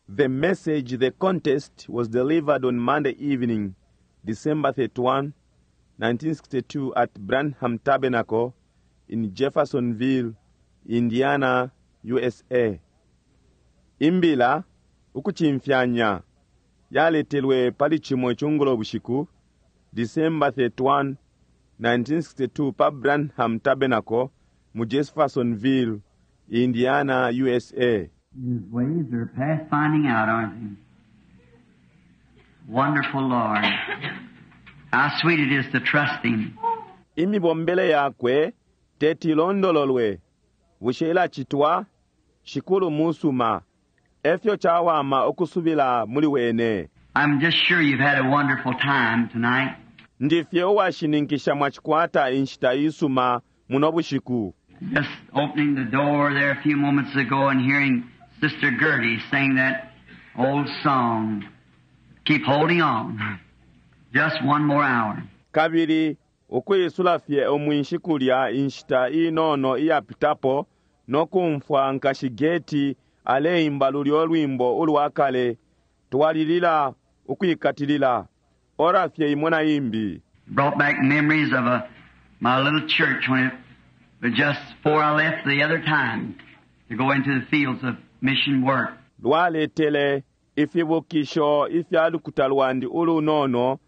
The message, The Contest, was delivered on Monday evening, December 31, 1962, at Branham Tabernacle in Jeffersonville, Indiana, USA. Imbila, ukucimfyanya, yaletelwe pali cimo icungulo bushiku, December 31, 1962, pa Branham Tabernacle mu Jeffersonville, Indiana, USA. His ways are past finding out, aren't they? Wonderful Lord. How sweet it is to trust Him. Imibombele yakwe teti ilondololwe. Bushe ilacitwa? Shikulu musuma. Efyo cawama ukusubila muli wene. I'm just sure you've had a wonderful time tonight. Ndifye uwashininkisha mwacikwata inshita isuma muno bushiku. Just opening the door there a few moments ago and hearing Sister Gertie sing that old song. Keep holding on. Just one more hour. Kabili ukwisula fye umwinshi kulya inshita inono iyapitapo no kumfwa nkashi Gertie aleimba lulyo lwimbo ulwa kale, Twalilila Ukwikatilila, ora fye imo na imbi. Brought back memories of a, my little church when it was just before I left the other time to go into the fields of mission work. Lwaletele ifibukisho ifya lukuta lwandi ulunono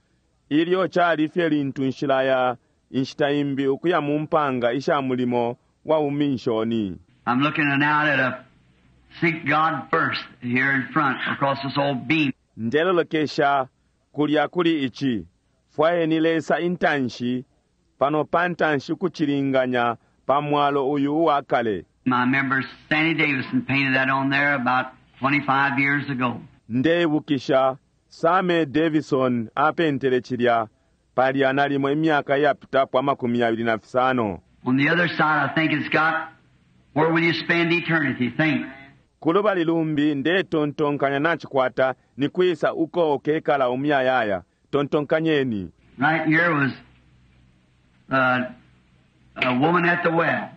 ilyo cali fye lintu nshilaya inshita imbi ukuya mu mpanga isha mulimo wa buminshoni. I'm looking now at a seek God first here in front across this old beam. Ndelolekesha kulya kuli ici, fwayeni Lesa intanshi, pano pantanshi ukucilinganya pa mwalo uyu uwa kale. I remember Sandy Davison painted that on there about 25 years ago. Ndeibukisha Sammy Davison apentele cilya palya nalimo imyaka iyapitapo 25. On the other side, I think it's got, where will you spend eternity? Think. Kulubali lumbi ndetontonkanya nacikwata ni kwisa uko ukekala umuyayaya. Tontonkanyeni. Right here was a woman at the well,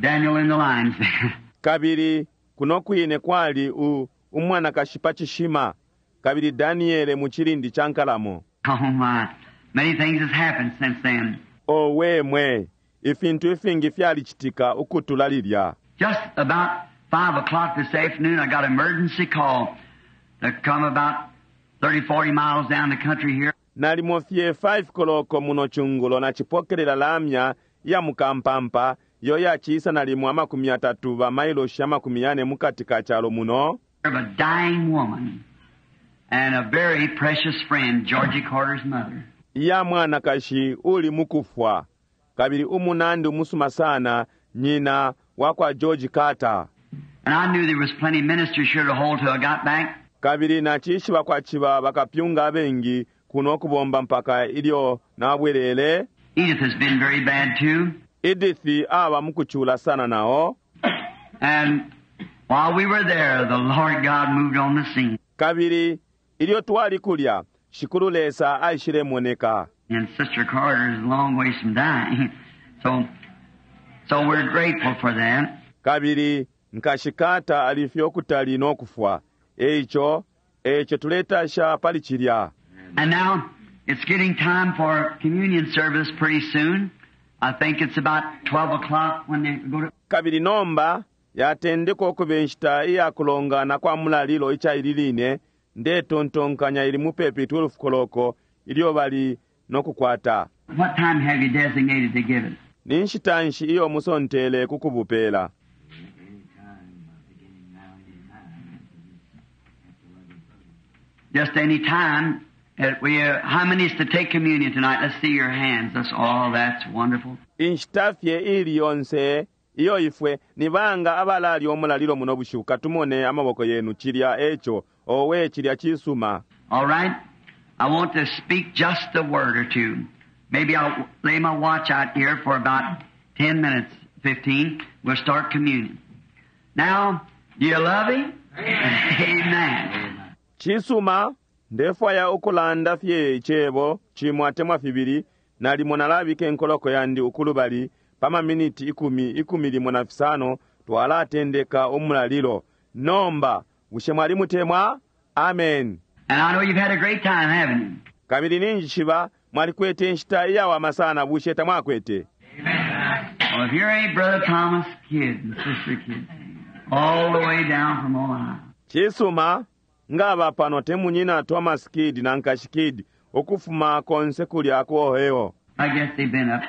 Daniel in the lion's den. Kabili kuno kwine kwali u, umwanakashi pa cishima, kabili Daniele mu cilindi ca nkalamo. Oh my, many things has happened since then. Owe mwe, ifintu ifingi fyalicitika ukutula lilya. Just about 5 o'clock this afternoon, I got an emergency call to come about 30, 40 miles down the country here. Nalimo fye 5 koloko muno cungulo nacipokelela lamya ya mukampampa iyo yaciisa nalimo 30 ba mailoshi 40 mukati ka calo muno. Of a dying woman and a very precious friend, Georgie Carter's mother. Iya mwanakashi uli mukufwa, kabili umunandi umusuma sana, nyina wa kwa George Carter. And I knew there was plenty of ministers here to hold till I got back. Kabili nacishiba kwaciba bakapyunga abengi kuno kubomba mpaka ilyo nabwelele. Edith has been very bad too. Edith aba mukucula sana nao. And while we were there, the Lord God moved on the scene. Kabili ilyo twali kulya, Shikulu Lesa aishilemoneka. And Sister Carter is a long ways from dying. So, so we're grateful for that. Kabili nkashi Carter alifye ukutali no kufwa. Eico, eico tuletasha pali cilya. And now it's getting time for communion service pretty soon. I think it's about 12 o'clock when they go to. Kabili nomba yatendeka ukuba inshita iya kulongana kwa mulalilo ica ili line, ndetontonkanya ili mupepi 12 koloko ilyo bali no kukwata. What time have you designated to give it? Ni nshita nshi iyo musontele ku kubupela? Just any time. That we, how many is to take communion tonight? Let's see your hands. That's all. That's wonderful. Inshita fye ili yonse iyo ifwe ni banga abalalya umulalilo muno bushiku, katumone amaboko yenu. Cilya eco, owe, cilya cisuma. All right. I want to speak just a word or two. Maybe I'll lay my watch out here for about 10 minutes, 15. We'll start communion. Now, do you love him? Amen. Cisuma, ndefwaya ukulanda fye icebo cimo atemwa fibili, nalimo nalabika inkoloko yandi ukulubali pa maminiti ikumi, ikumi limo na fisano, twalatendeka umulalilo. Nomba, Bushe mwalimutemwa? Amen. And I know you've had a great time, haven't you? Kabili ninjishiba mwalikwete inshita iyawama sana, bushe tamwakwete? Well, if here ain't Brother Thomas Kidd and Sister Kidd, all the way down from Ohio. Cisuma ngaba pano te munyina Thomas Kidd na nkashi Kidd ukufuma konse kulya ku Ohio. I guess they've been up.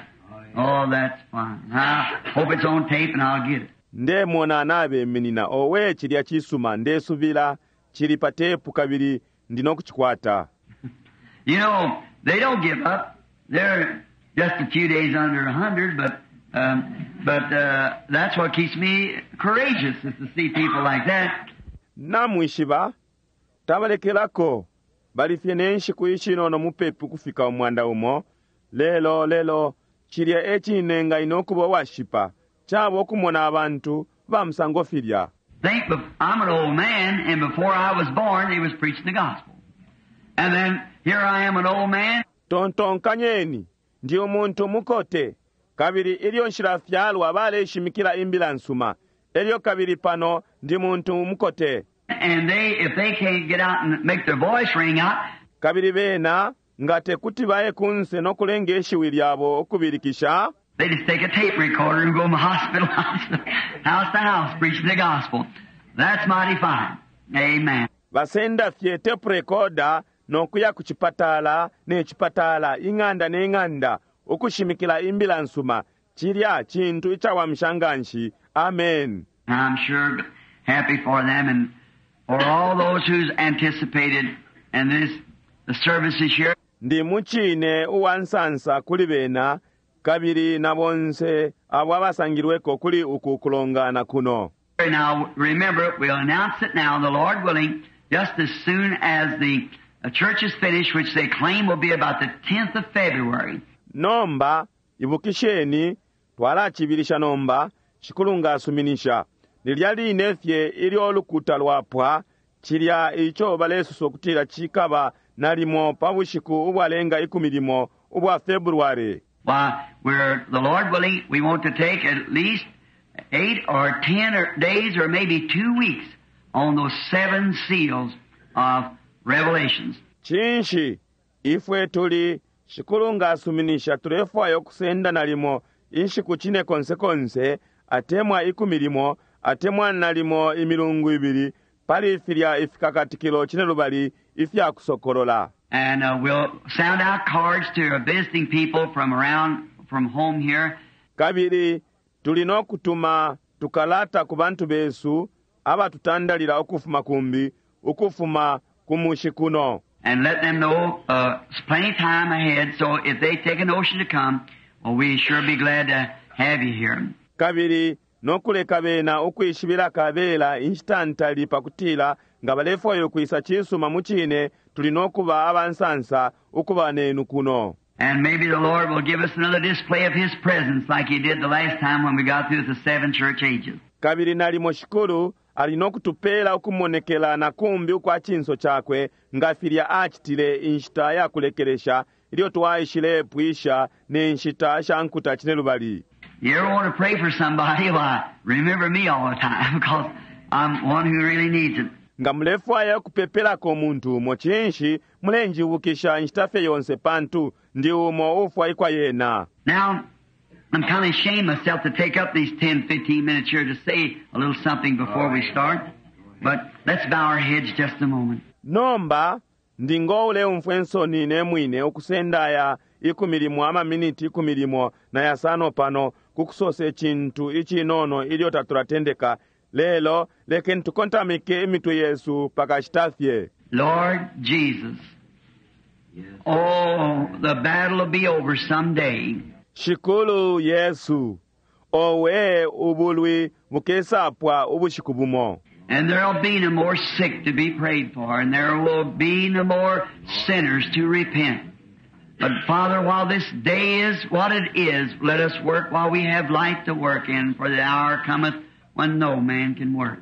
Oh, that's fine. I hope it's on tape and I'll get it. Ndemona nabeminina owe cilya cisuma ndesubila cili pa tepu kabili ndino kucikwata. You know, they don't give up. They're just a few days under 100, but that's what keeps me courageous is to see people like that. Namwishiba tabalekelako bali fye ne nshiku ishinono mupepi kufika 100. Lelo lelo cilya e cinenga ine ukuba uwashipa caba ukumona abantu ba musango filya. Think, I'm an old man, and before I was born, they was preaching the gospel. And then here I am, an old man. Tontonkanyeni, ndi umuntu mukote, kabili ilyo nshilafyalwa baleshimikila imbila nsuma, elyo kabili pano ndi muntu mukote. And they, if they can't get out and make their voice ring out, Kabili bena nga tekuti baye kunse nokulenga ishiwi lyabo ukubilikisha, they just take a tape recorder and go from hospital house to house, to house preaching the gospel. That's mighty fine. Amen. Basenda fye tape recorder nokuya ku chipatala ne chipatala, ing'anda ne ng'anda, ukushimikila imbila nsuma. Cilya cintu icawamisha nganshi. Amen. I'm sure happy for them and for all those who's anticipated and this the services here. Ndi mucine uwa nsansa kuli bena kabili na bonse abo abasangilweko kuli uku kulongana kuno. Now remember, we'll announce it now, the Lord willing, just as soon as the church is finished, which they claim will be about the 10th of February. Nomba ibukisheni, twalacibilisha nomba, Shikulu nga asuminisha, lilya line fye ilyo lukuta lwapwa, cilya ico balesosa ukutila cikaba nalimo pa bushiku ubwalenga 11 ubwa February. Why, we're, the Lord willing, we want to take at least 8 or 10 or days or maybe 2 weeks on those 7 seals of Revelations. Cinshi ifwe tuli, Shikulu nga asuminisha, tulefwaya ukusenda nalimo inshiku cine konse konse, atemwa 11, atemwa nalimo imilungu 2, pali filya ifikakatikilo 12 ifya kusokolola. And we'll sound out cards to our visiting people from around, from home here. Kabili tuli no kutuma tukalata ku bantu besu abatutandalila ukufuma kumbi, ukufuma ku mushi kuno. And let them know it's plenty of time ahead, so if they take a notion to come, well, we sure be glad to have you here. Kabili no kuleka bena ukwishibila kabela inshita ntali pakutila nga balefwaya ukwisa cisuma mu cine, tuli no kuba abansansa ukuba nenu kuno. And maybe the Lord will give us another display of His presence like He did the last time when we got through the 7 church ages. Kabili nalimo Shikulu ali no kutupela ukumonekela na kumbi ukwa cinso cakwe nga filya acitile inshita ya kulekelesha ilyo twaishile pwisha ne nshita sha nkuta 12. You ever want to pray for somebody? Why, remember me all the time, because I'm one who really needs it. Nga mulefwaya kupepelako umuntu umo, cinshi mulenjibukisha inshita fye yonse, pantu ndi umo ufwaikwa yena. Now, I'm kind of ashamed myself to take up these 10, 15 minutes here to say a little something before we start. But let's bow our heads just a moment. Nomba, ndi ngoule umfwe nsoni ne mwine ukusenda aya 10 amaminiti 15 pano kukusosa icintu icinono ilyo tatulatendeka. Lelo lekeni tukontamike imitwe yesu pakashita fye. Lord Jesus, oh, the battle will be over someday. Shikulu Yesu, owe ubulwi bukesapwa ubushiku bumo. And there'll be no more sick to be prayed for, and there will be no more sinners to repent. But Father, while this day is what it is, let us work while we have light to work in, for the hour cometh when no man can work.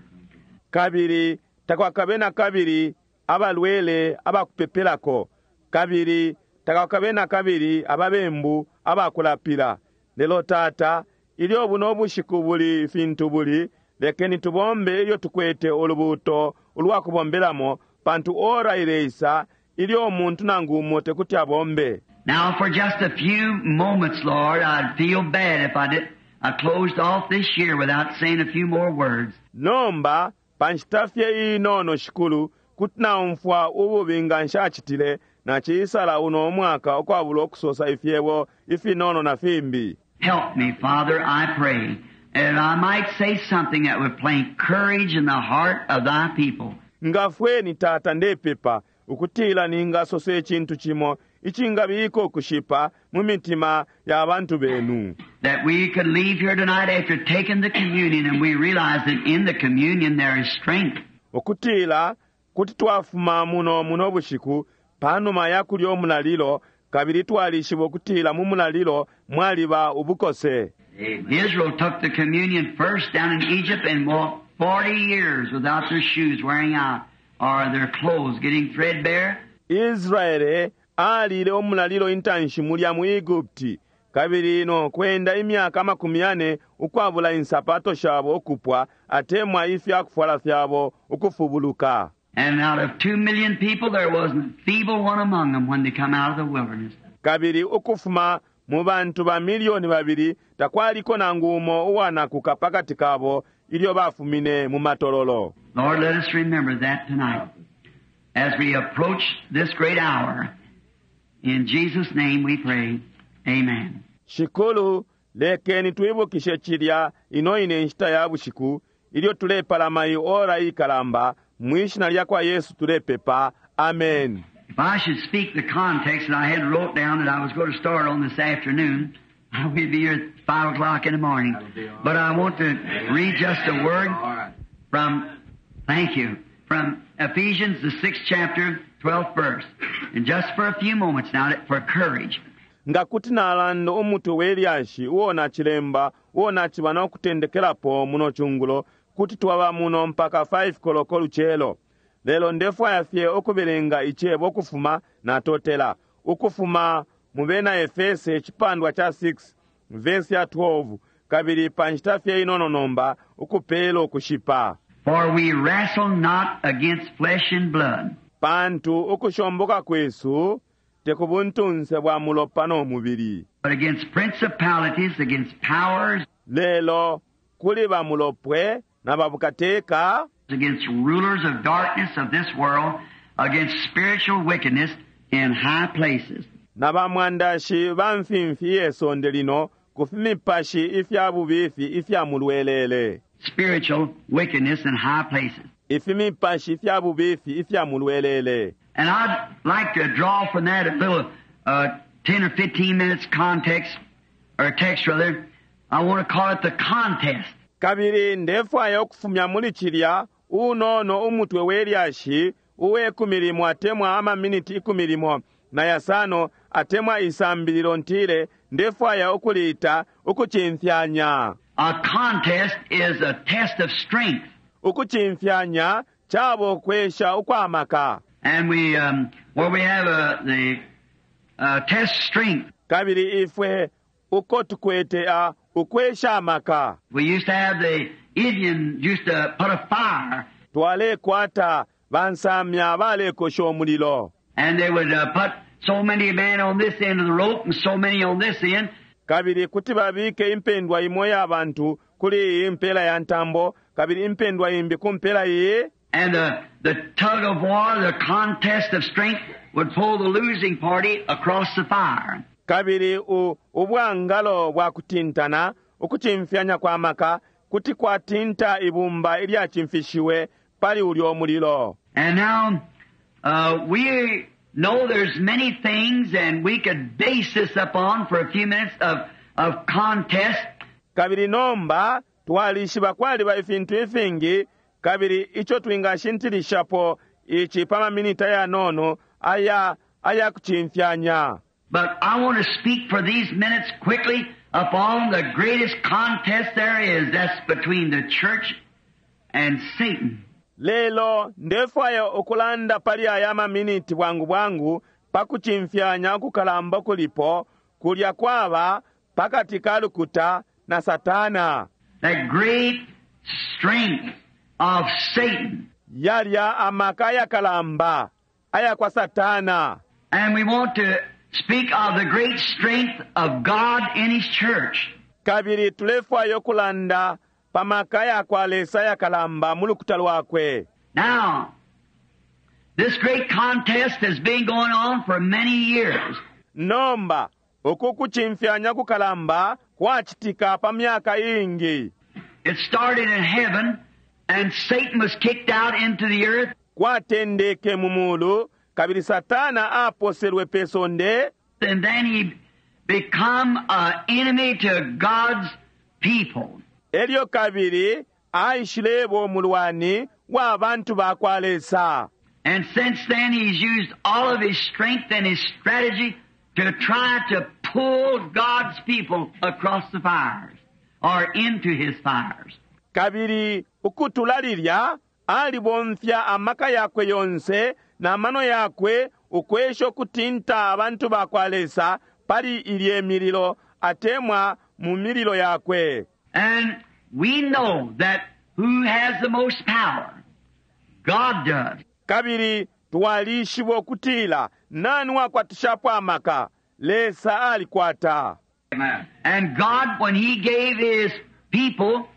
Kabili takwakabe na kabili abalwele abakupepelako, kabili takwakabe na kabili ababembu abakulapila. Lelo Tata, ilyo buno bushiku buli fintu buli, Lekeni tubombe ilyo tukwete ulubuuto ulwa kubombelamo, pantu ora ileisa ilyo umuntu nangu umo tekuti abombe. Now, for just a few moments, Lord, I'd feel bad if I did. I closed off this year without saying a few more words. Nomba pa nshita fye inono, Shikulu, kuti naumfwa ububi nga nshacitile naciisala uno mwaka ukwabula ukusosa ifyebo ifinono na fimbi. Help me, Father, I pray, that I might say something that would plant courage in the heart of thy people. Ngafweni, Tata, ndepepa ukutila ningasosa icintu cimo icingabika ukushipa mu mitima ya bantu benu. That we could leave here tonight after taking the communion and we realize that in the communion there is strength. Ukutila kuti twafuma muno muno bushiku panuma ya kulya umulalilo, kabili twalishiba ukutila mu mulalilo mwaliba ubukose. Israel took the communion first down in Egypt and walked 40 years without their shoes wearing out or their clothes getting threadbare. Israele alile umulalilo intanshi mulya mu Egupti, kabili no kwenda imyaka 40 ukwabula insapato shabo ukupwa atemwa ifya kufwala fyabo ukufubuluka. And out of 2 million people, there wasn't a feeble one among them when they come out of the wilderness. Kabili ukufuma mu bantu ba 2 million takwaliko nangu umo uwanakuka pakati kabo ilyo bafumine mu matololo. Lord, let us remember that tonight as we approach this great hour. In Jesus' name we pray. Amen. Shikulu, lekeni twibukishe cilya ino ine nshita ya bushiku ilyo tulepalama iyi ora ikalamba. Mwishina lya kwa Yesu tulepepa, amen. If I should speak the context that I had wrote down that I was going to start on this afternoon, we'd be here at 5 o'clock in the morning. But I want to read just a word from, thank you, from Ephesians, the 6th chapter, 12th verse. And just for a few moments now, for courage. Nga kuti nalanda umutwe we lyashi uo nacilemba uo naciba no kutendekelapo muno cungulo, kuti twaba muno mpaka 5 koloko lucelo. Lelo ndefwaya fye ukubelenga icebo ukufuma, natotela, ukufuma mu Bena Efese icipandwa ca 6 vesi ya 12, kabili pa nshita fye inono nomba ukupela ukushipa. For we wrestle not against flesh and blood, Pantu ukushomboka kwesu te ku buntunse bwa mulopa no mubili, but against principalities, against powers, lelo kuli bamulopwe na babukateka, against rulers of darkness of this world, against spiritual wickedness in high places. Na bamwandashi ba mfimfi ye sonde lino, ku fimipashi ifya bubifi ifya mulwelele. Spiritual wickedness in high places. Ifimipashi ifya bubifi ifya mulwelele. And I'd like to draw from that a little 10 or 15 minutes context, or text rather. I want to call it the contest. Kabili ndefwaya ukufumya muli cilya unono umutwe we lyashi uwe 10 atemwa amaminiti 15 atemwa isambililo ntile ndefwaya ukuliita ukucimfyanya. A contest is a test of strength. Ukucimfyanya cabo kwesha ukwamaka. And where we have the test strength. Kabili ifwe uko tukwete a ukwesha amaka. We used to have the Indian used to put a fire. Twalekwata bansamya balekosha umulilo. And they would put so many men on this end of the rope and so many on this end. Kabili kuti babike impendwa imo ya bantu kuli iyi mpela ya ntambo kabili impendwa imbi ku mpela iyi. And the tug of war, the contest of strength, would pull the losing party across the fire. Kabili u, ubwangalo bwa kutintana ukucimfyanya kwa maka kuti kwatinta ibumba ilyacimfishiwe pali ulyo mulilo. And now we know there's many things, and we could base this upon for a few minutes of contest. Kabili nomba twalishiba kwaliba ifintu ifingi, kabili ico twingashintilishapo ici pa maminita yanono aya aya kucimfyanya. But I want to speak for these minutes quickly upon the greatest contest there is. That's between the church and Satan. Lelo ndefwaya ukulanda pali aya maminiti bwangu bwangu pa kucimfyanya ukukalamba kulipo kulya kwaba pakati ka lukuta na Satana. That great strength of Satan. Yalya amaka ayakalamba ayakwa Satana. And we want to speak of the great strength of God in His church. Kabili tulefwaya ukulanda pa maka yakwa Lesa ayakalamba mu lukuta lwakwe. Now, this great contest has been going on for many years. Nomba uku kucimfyanya kukalamba kwacitika pa myaka iingi. It started in heaven, and Satan was kicked out into the earth. Kwatendeke mu mulu kabili Satana aposelwe pe sonde. And then he become an enemy to God's people. Elyo kabili aishileba umulwani wa bantu ba kwa Lesa. And since then he's used all of his strength and his strategy to try to pull God's people across the fires or into his fires. Kabili ukutula lilya alibomfya amaka yakwe yonse na mano yakwe ukwesha ukutinta abantu ba kwa Lesa pali ilye mililo atemwa mu mililo yakwe. And we know that who has the most power? God does. Kabili twalishiba ukutila nani wakwatishapo amaka? Lesa alikwata. Amen. And God, when He gave His people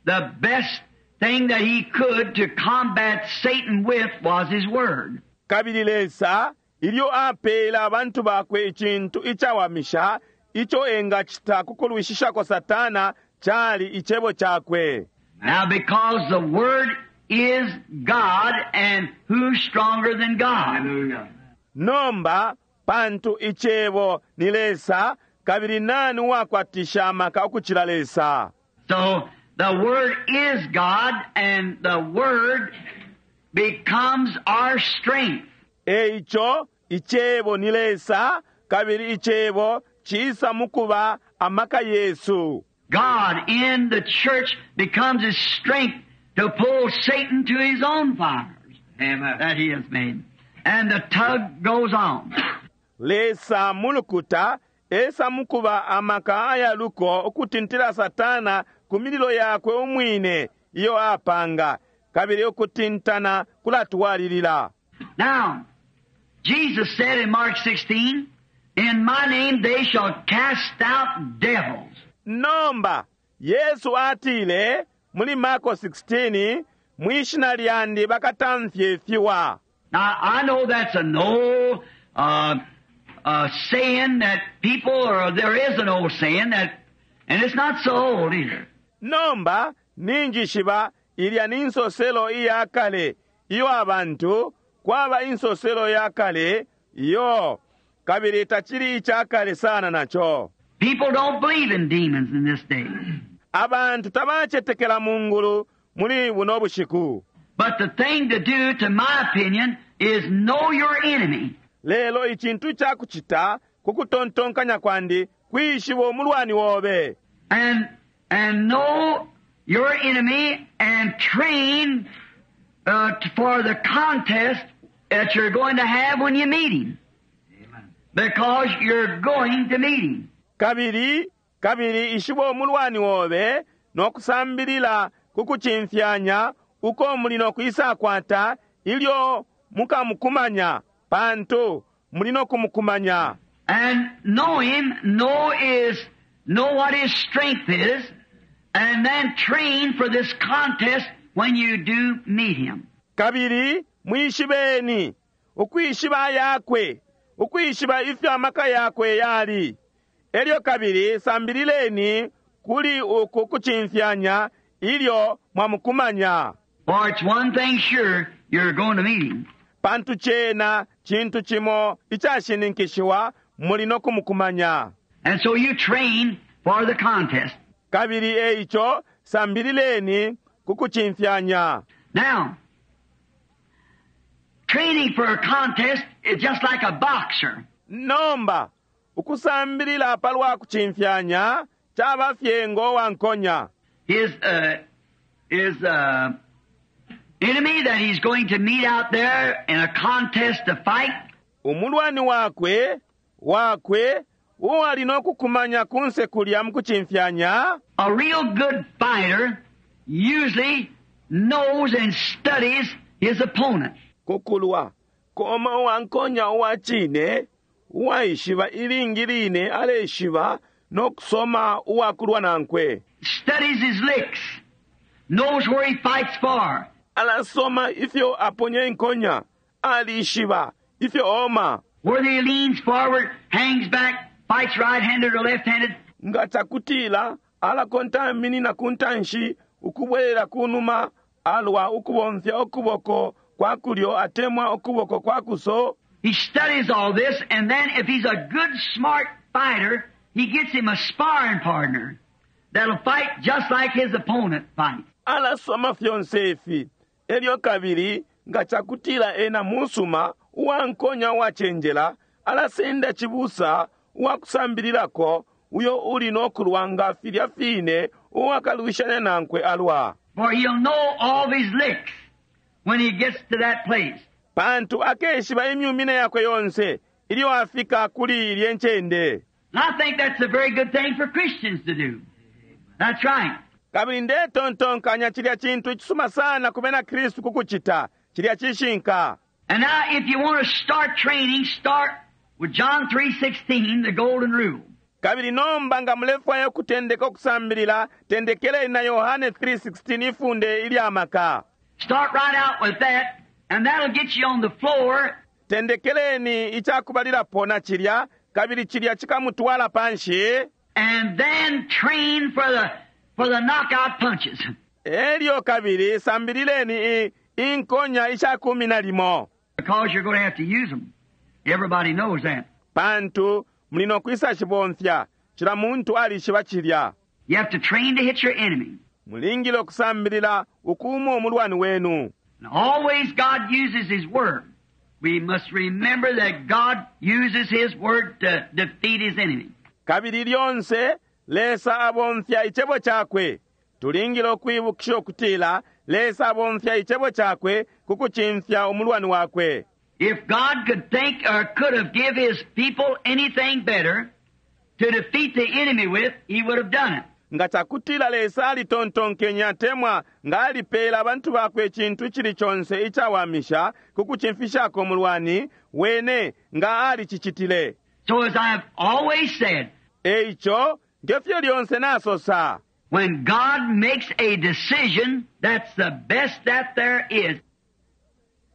the best thing that He could to combat Satan with was His Word. Kabili Lesa ilyo apela abantu bakwe icintu icawamisha ico engacita ku kulwishishako Satana cali icebo cakwe. Now, because the Word is God, and who's stronger than God? Hallelujah. Nomba pantu icebo ni Lesa kabili nani uwakwatisha amaka ukucila Lesa? So the Word is God, and the Word becomes our strength. Eico icebo ni Lesa kabili icebo cisa mukuba amaka yesu. God in the church becomes His strength to pull Satan to his own fires. Amen. That he has made. And the tug goes on. Lesa mulukuta esa mukuba amaka ayaluko ukutintila Satana ku mililo yakwe umwine iyo apanga kabili ukutintana kulatwalilila. Now, Jesus said in Mark 16, In my name they shall cast out devils. Nomba Yesu atile muli Marko 16 mwishina lyandi bakatamfye fiwa. Now, I know that's an old saying that people, or there is an old saying that, and it's not so old either. Nomba ninjishiba ilya ni nsoselo iya kale iyo abantu kwaba insoselo ya kale iyo kabili tacili ica kale sana naco. People don't believe in demons in this day. Abantu tabacetekela mu ngulu muli buno bushiku. But the thing to do, to my opinion, is know your enemy. Lelo icintu ca kucita ku kutontonkanya kwandi kwishiba umulwani wobe. And know your enemy and train for the contest that you're going to have when you meet him. Amen. Because you're going to meet him. Kabili, kabili ishiba umulwani wobe no kusambilila ku kucimfyanya uko muli no kwisakwata ilyo mukamukumanya pantu muli no kumukumanya. And know him, know what his strength is, and then train for this contest when you do meet him. Kabili mwishibeni ukwishiba yakwe, ukwishiba ifyo amaka yakwe yali. Elyo kabili sambilileni kuli uku kucimfyanya ilyo mwamukumanya. For it's one thing sure, you're going to meet him. Pantu cena cintu cimo icashininkishiwa muli no kumukumanya. And so you train for the contest. Kabili eico sambilileni ku kucimfyanya. Now, training for a contest is just like a boxer. Nomba ukusambilila palwa kucimfyanya caba fye ngo wankonya. His enemy that he's going to meet out there in a contest to fight. Umulwani wakwe wakwe uwali no kukumanya kunse kulya mu kucimfyanya. A real good fighter usually knows and studies his opponent. Kukulwa koma uwankonya uwa cine uwaishiba ilingi line aleshiba no kusoma uwakulwa nankwe. Studies his licks, knows where he fights for. Alasoma ifyo aponya inkonya, alishiba ifyo oma. Whether he leans forward, hangs back, fights right-handed or left-handed. Nga cakutila alakontaminina ku ntanshi ukubwelela kunuma alwa ukubomfya ukuboko kwa kulyo atemwa ukuboko kwa kuso. He studies all this, and then if he's a good, smart fighter, he gets him a sparring partner that'll fight just like his opponent fights. Alasoma fyonse ifi elyo kabili nga cakutila ena musuma uwankonya uwacenjela alasenda cibusa uwakusambililako uyo uli nokulwa nga filya fine uwakalwishanya nankwe alwa. For he'll know all his licks when he gets to that place. Pantu akeshiba imyumine yakwe yonse ilyo afika kuli ilye ncende. And I think that's a very good thing for Christians to do. That's right. Kabili ndetontonkanya cilya cintu icisuma sana ku bena Kristu kukucita cilya cishinka. And now if you want to start training, start with John 3:16, the golden rule. Kabili nomba nga mulefwaya ukutendeka ukusambilila, tendekeleni na Yohane 3:16 ifunde ilya maka. Start right out with that, and that'll get you on the floor. Tendekeleni icakubalilapo na cilya, kabili cilya cikamutwala panshi. And then train for the knockout punches. Elyo kabili sambilileni inkonya isha kumi na limo. Because you're going to have to use them. Everybody knows that. Pantu muli no kwisa shibomfya, cila muntu alishiba cilya. You have to train to hit your enemy. Mulingile ukusambilila ukuuma umulwani wenu. And always God uses His Word. We must remember that God uses His Word to defeat His enemy. Kabili lyonse Lesa abomfya icebo cakwe. Tulingile ukwibukisha ukutila Lesa abomfya icebo cakwe ku kucimfya umulwani wakwe. If God could think or could have give His people anything better to defeat the enemy with, He would have done it. Nga cakutila Lesa alitontonkenya atemwa nga alipela abantu bakwe icintu icili conse icawamisha ku kucimfishako umulwani, wene nga alicicitile. So as I have always said, Eico, ngefyo lyonse nasosa. when God makes a decision, that's the best that there is.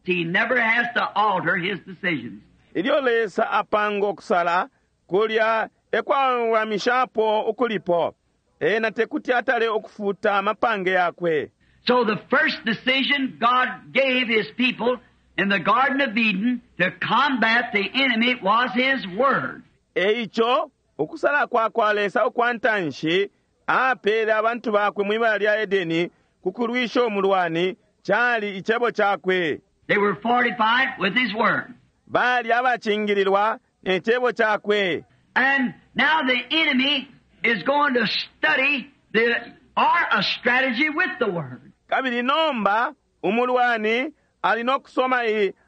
He never has to alter His decisions. Ilyo Lesa apanga ukusala, kulya ekwawamishapo ukulipo. Ena tekuti atale ukufuta amapange yakwe. So the first decision God gave His people in the Garden of Eden to combat the enemy was His Word. Eico, ukusala kwa kwa Lesa ukwa ntanshi, apele abantu bakwe mwibala lya Edeni kukulwisha umulwani, cali icebo cakwe. They were fortified with His Word. Bali abacingililwa ne cebo cakwe. And now the enemy is going to study the art of strategy with the Word. Kabili nomba umulwani ali no kusoma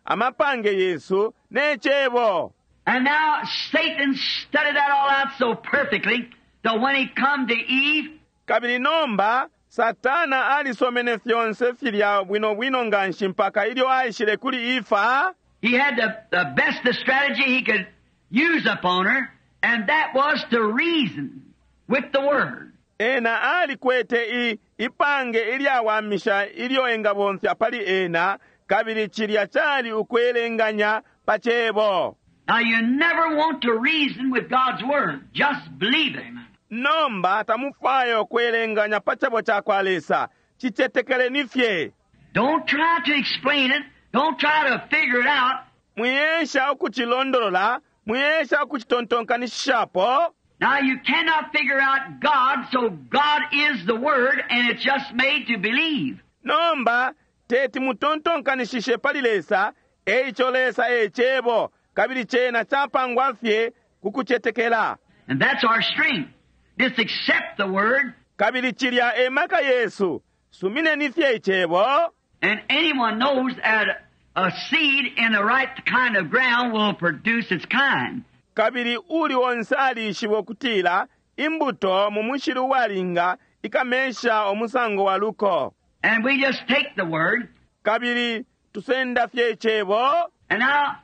amapange Yesu ne cebo. And now Satan studied that all out so perfectly that when he come to Eve, Kabili nomba Satana alisomene fyonse filya bwino bwino nganshi mpaka ilyo aishile kuli Efa. he had the best the strategy he could use upon her, and that was to reason with the Word. Ena alikwete ipange ilyawamisha ilyo engabomfya pali ena, kabili cilya cali ukwelenganya pa cebo. Now you never want to reason with God's Word. Just believe it. Nomba tamufwaya ukwelenganya pa cebo ca kwa Lesa. Cicetekeleni fye. Don't try to explain it. Don't try to figure it out. Mwiyesha ukucilondolola, mwiyesha ukucitontonkanishishapo. Now you cannot figure out God, so God is the Word, and it's just made to believe. Nomba teti mutontonkanishishe pali Lesa, eico Lesa e cebo, kabili cena capangwa fye kukucetekela. And that's our strength. Just accept the Word, Kabili cilya e maka Yesu, sumineni fye icebo. and anyone knows that a seed in the right kind of ground will produce its kind. Kabili uli onse alishiba ukutila imbuto mu mushili uwalinga ikamesha umusango wa luko. And we just take the word. Kabili tusenda fye icebo. And now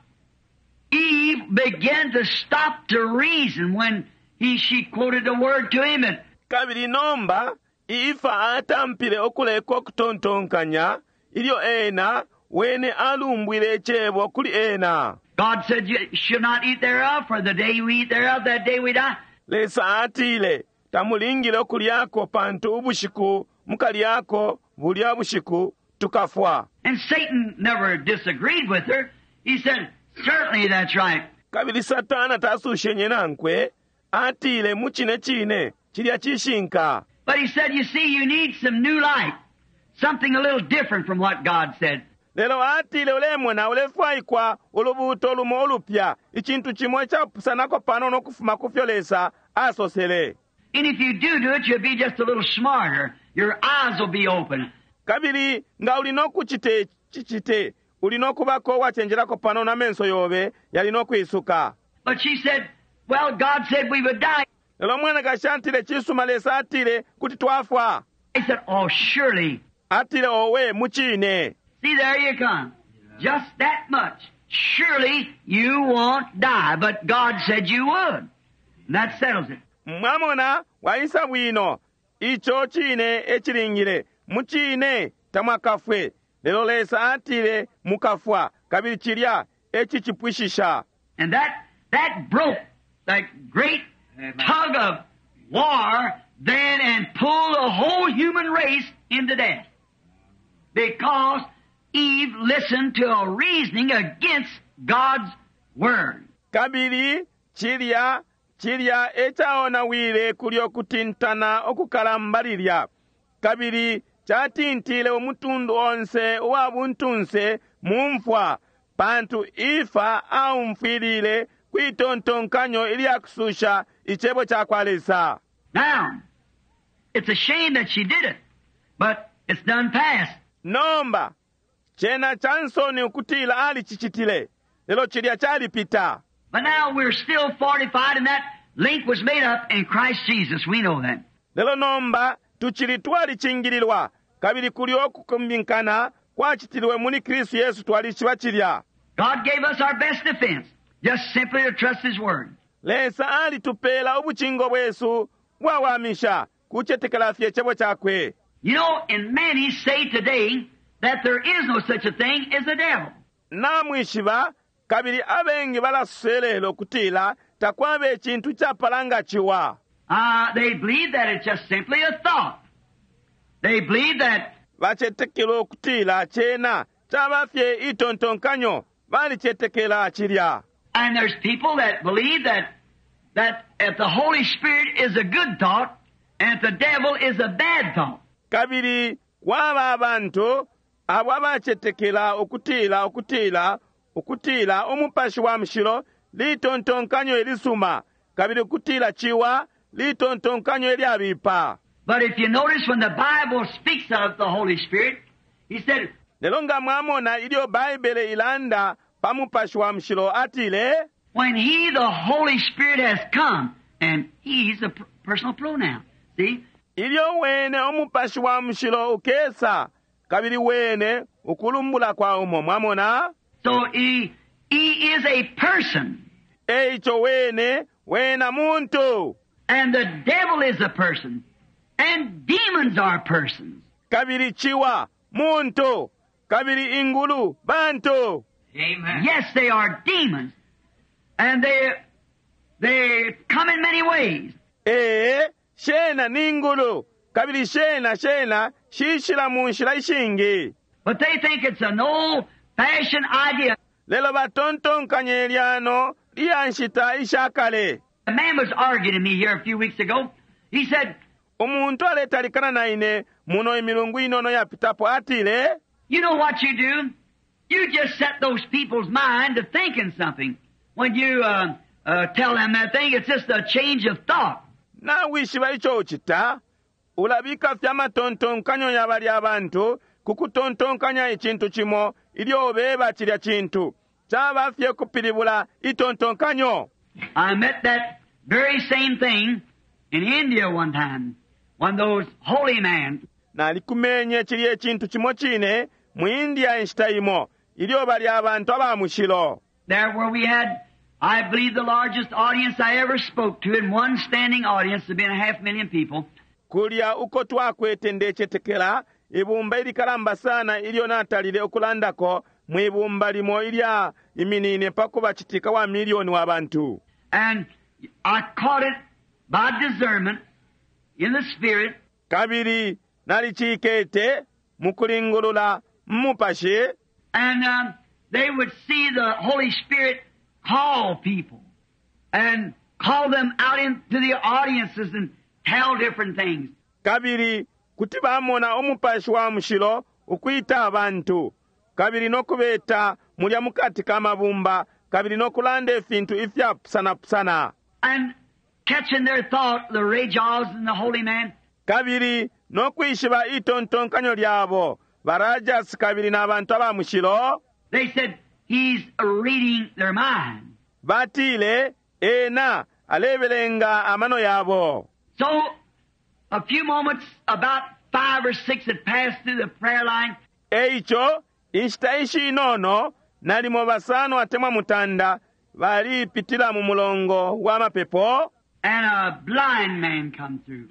Eve began to stop to reason when she quoted the word to him. And Kabili nomba Ifa atampile ukuleka ukutontonkanya ilyo ena wene alumbwile icebo kuli ena. God said, "You should not eat thereof, for the day you eat thereof, that day we die." Lesa atile tamulingile ukulyako pantu ubushiku mukalyako bulya bushiku tukafwa. And Satan never disagreed with her. He said, "Certainly that's right." Kabili Satana tasushenye nankwe atile mu cine cine cilya cishinka. But he said, "You see, you need some new light, something a little different from what God said." Lelo atile ulemona ulefwaikwa ulubuuto lumo ulupya icintu cimo icapusanako panono ukufuma ku fyo Lesa asosele. And if you do it, you'll be just a little smarter. Your eyes will be open. Kabili nga uli nokucita cicite uli nokubako uwacenjelako panono amenso yobe yali nokwisuka. But she said, "Well, God said we would die." Lelo mwanakashi atile cisuma Lesa atile kuti twafwa. He said, "Oh, surely." Atile owe mucine. See, there you come. Just that much. Surely you won't die, but God said you would. And that settles it. Mwamona waisa bwino ico cine ecilingile mucine tamwakafwe lelo Lesa atile mukafwa kabili cilya ecicipwishisha. And that broke that great tug of war then and pulled the whole human race into death. Because Eve listened to a reasoning against God's word. Kabili cilya cilya ecaonawile kulyo kutintana okukalamba lilya kabili catintile umutundu onse uwa buntunse mu mfwa pantu Ifa aumfwilile kwitontonkanyo ilyakususha icebo ca kwa Lesa. Now, it's a shame that she did it, but it's done past. Nomba cena cansoni ukutila alicicitile lelo cilya calipita. But now we're still fortified, and that link was made up in Christ Jesus. We know that. Lelo nomba tucili twalicingililwa kabili kulyo okukumbinkana kwacitilwe muli Kristu Yesu twalishiba cilya. God gave us our best defense, just simply to trust His Word. Lesa alitupela ubucingo bwesu bwawamisha kucetekela fye icebo cakwe. You know, and many say today that there is no such a thing as the devil. Namwishiba kabili abengi balasoselelo kutila takwaba icintu capala nga ciwa. They believe that it's just simply a thought. They believe that bacetekela ukutila cena caba fye itontonkanyo balicetekela cilya. And there's people that believe that if the Holy Spirit is a good thought and if the devil is a bad thought. Kabili kwaba abantu abo abacetekela ukutila ukutila ukutila umupashi wa mushilo litontonkanyo ilisuma kabili ukutila ciwa litontonkanyo ilyabipa. But if you notice when the Bible speaks of the Holy Spirit, he said, Lelo nga mwamona ilyo Baibele ilanda pa mupashi wa mushilo atile, when he, the Holy Spirit, has come, and he's a personal pronoun. See? Ilyo wene umupashi wa mushilo ukesa kabili wene ukulumbula kwa umo mwamona. So he is a person. Eico wene wena muntu. And the devil is a person. And demons are persons. Kabili ciwa muntu. Kabili ingulu bantu. Amen. Yes, they are demons. And they come in many ways. Ee, shena ningulu. Kabili shena shena shishila mu nshila ishingi. But they think it's an old-fashioned idea. Lelo batontonkanye lyano lya nshita ishakale. A man was arguing to me here a few weeks ago. He said, Umuntu aletalikana na ine muno imilungu inono yapitapo atile, You know what you do? You just set those people's mind to thinking something. When you tell them that thing, it's just a change of thought. Nawishiba ico ucita, ulabika fye amatontonkanyo ya bali abantu kukutontonkanya icintu cimo ilyo ubeba cilya cintu. Caba fye kupilibula itontonkanyo. I met that very same thing in India one time. When those holy men, Nalikumenye cilye cintu cimo cine mu India inshita imo ilyo bali abantu aba mushilo. there where we had, I believe, the largest audience I ever spoke to in one standing audience, there'd been a half million people. Kulya uko twakwete ndecetekela ibumba ilikalamba sana ilyo natalile ukulandako mwibumba limo ilya iminine pakuba citika wa milioni wa bantu. And I caught it by discernment in the spirit Kabili nalicikete mukulingulula mumupashi. And they would see the Holy Spirit call people and call them out into the audiences and tell different things. Kabili kuti bamona umupashi wa mushilo ukwita abantu kabili nokubeta mulya mukati ka mabumba kabili nokulanda ifintu ifyapusanapusana. And catching their thought, the Rajas and the holy man, Kabili nokwishiba itontonkanyo lyabo barajas kabili n'abantu aba mushilo. they said, he's reading their mind. Batile ena alebelenga amano yabo. So, a few moments, about 5 or 6 had passed through the prayer line. Eico inshita ishinono nalimo basano atemwa mutanda balipitila mu mulongo wa mapepo. And a blind man come through.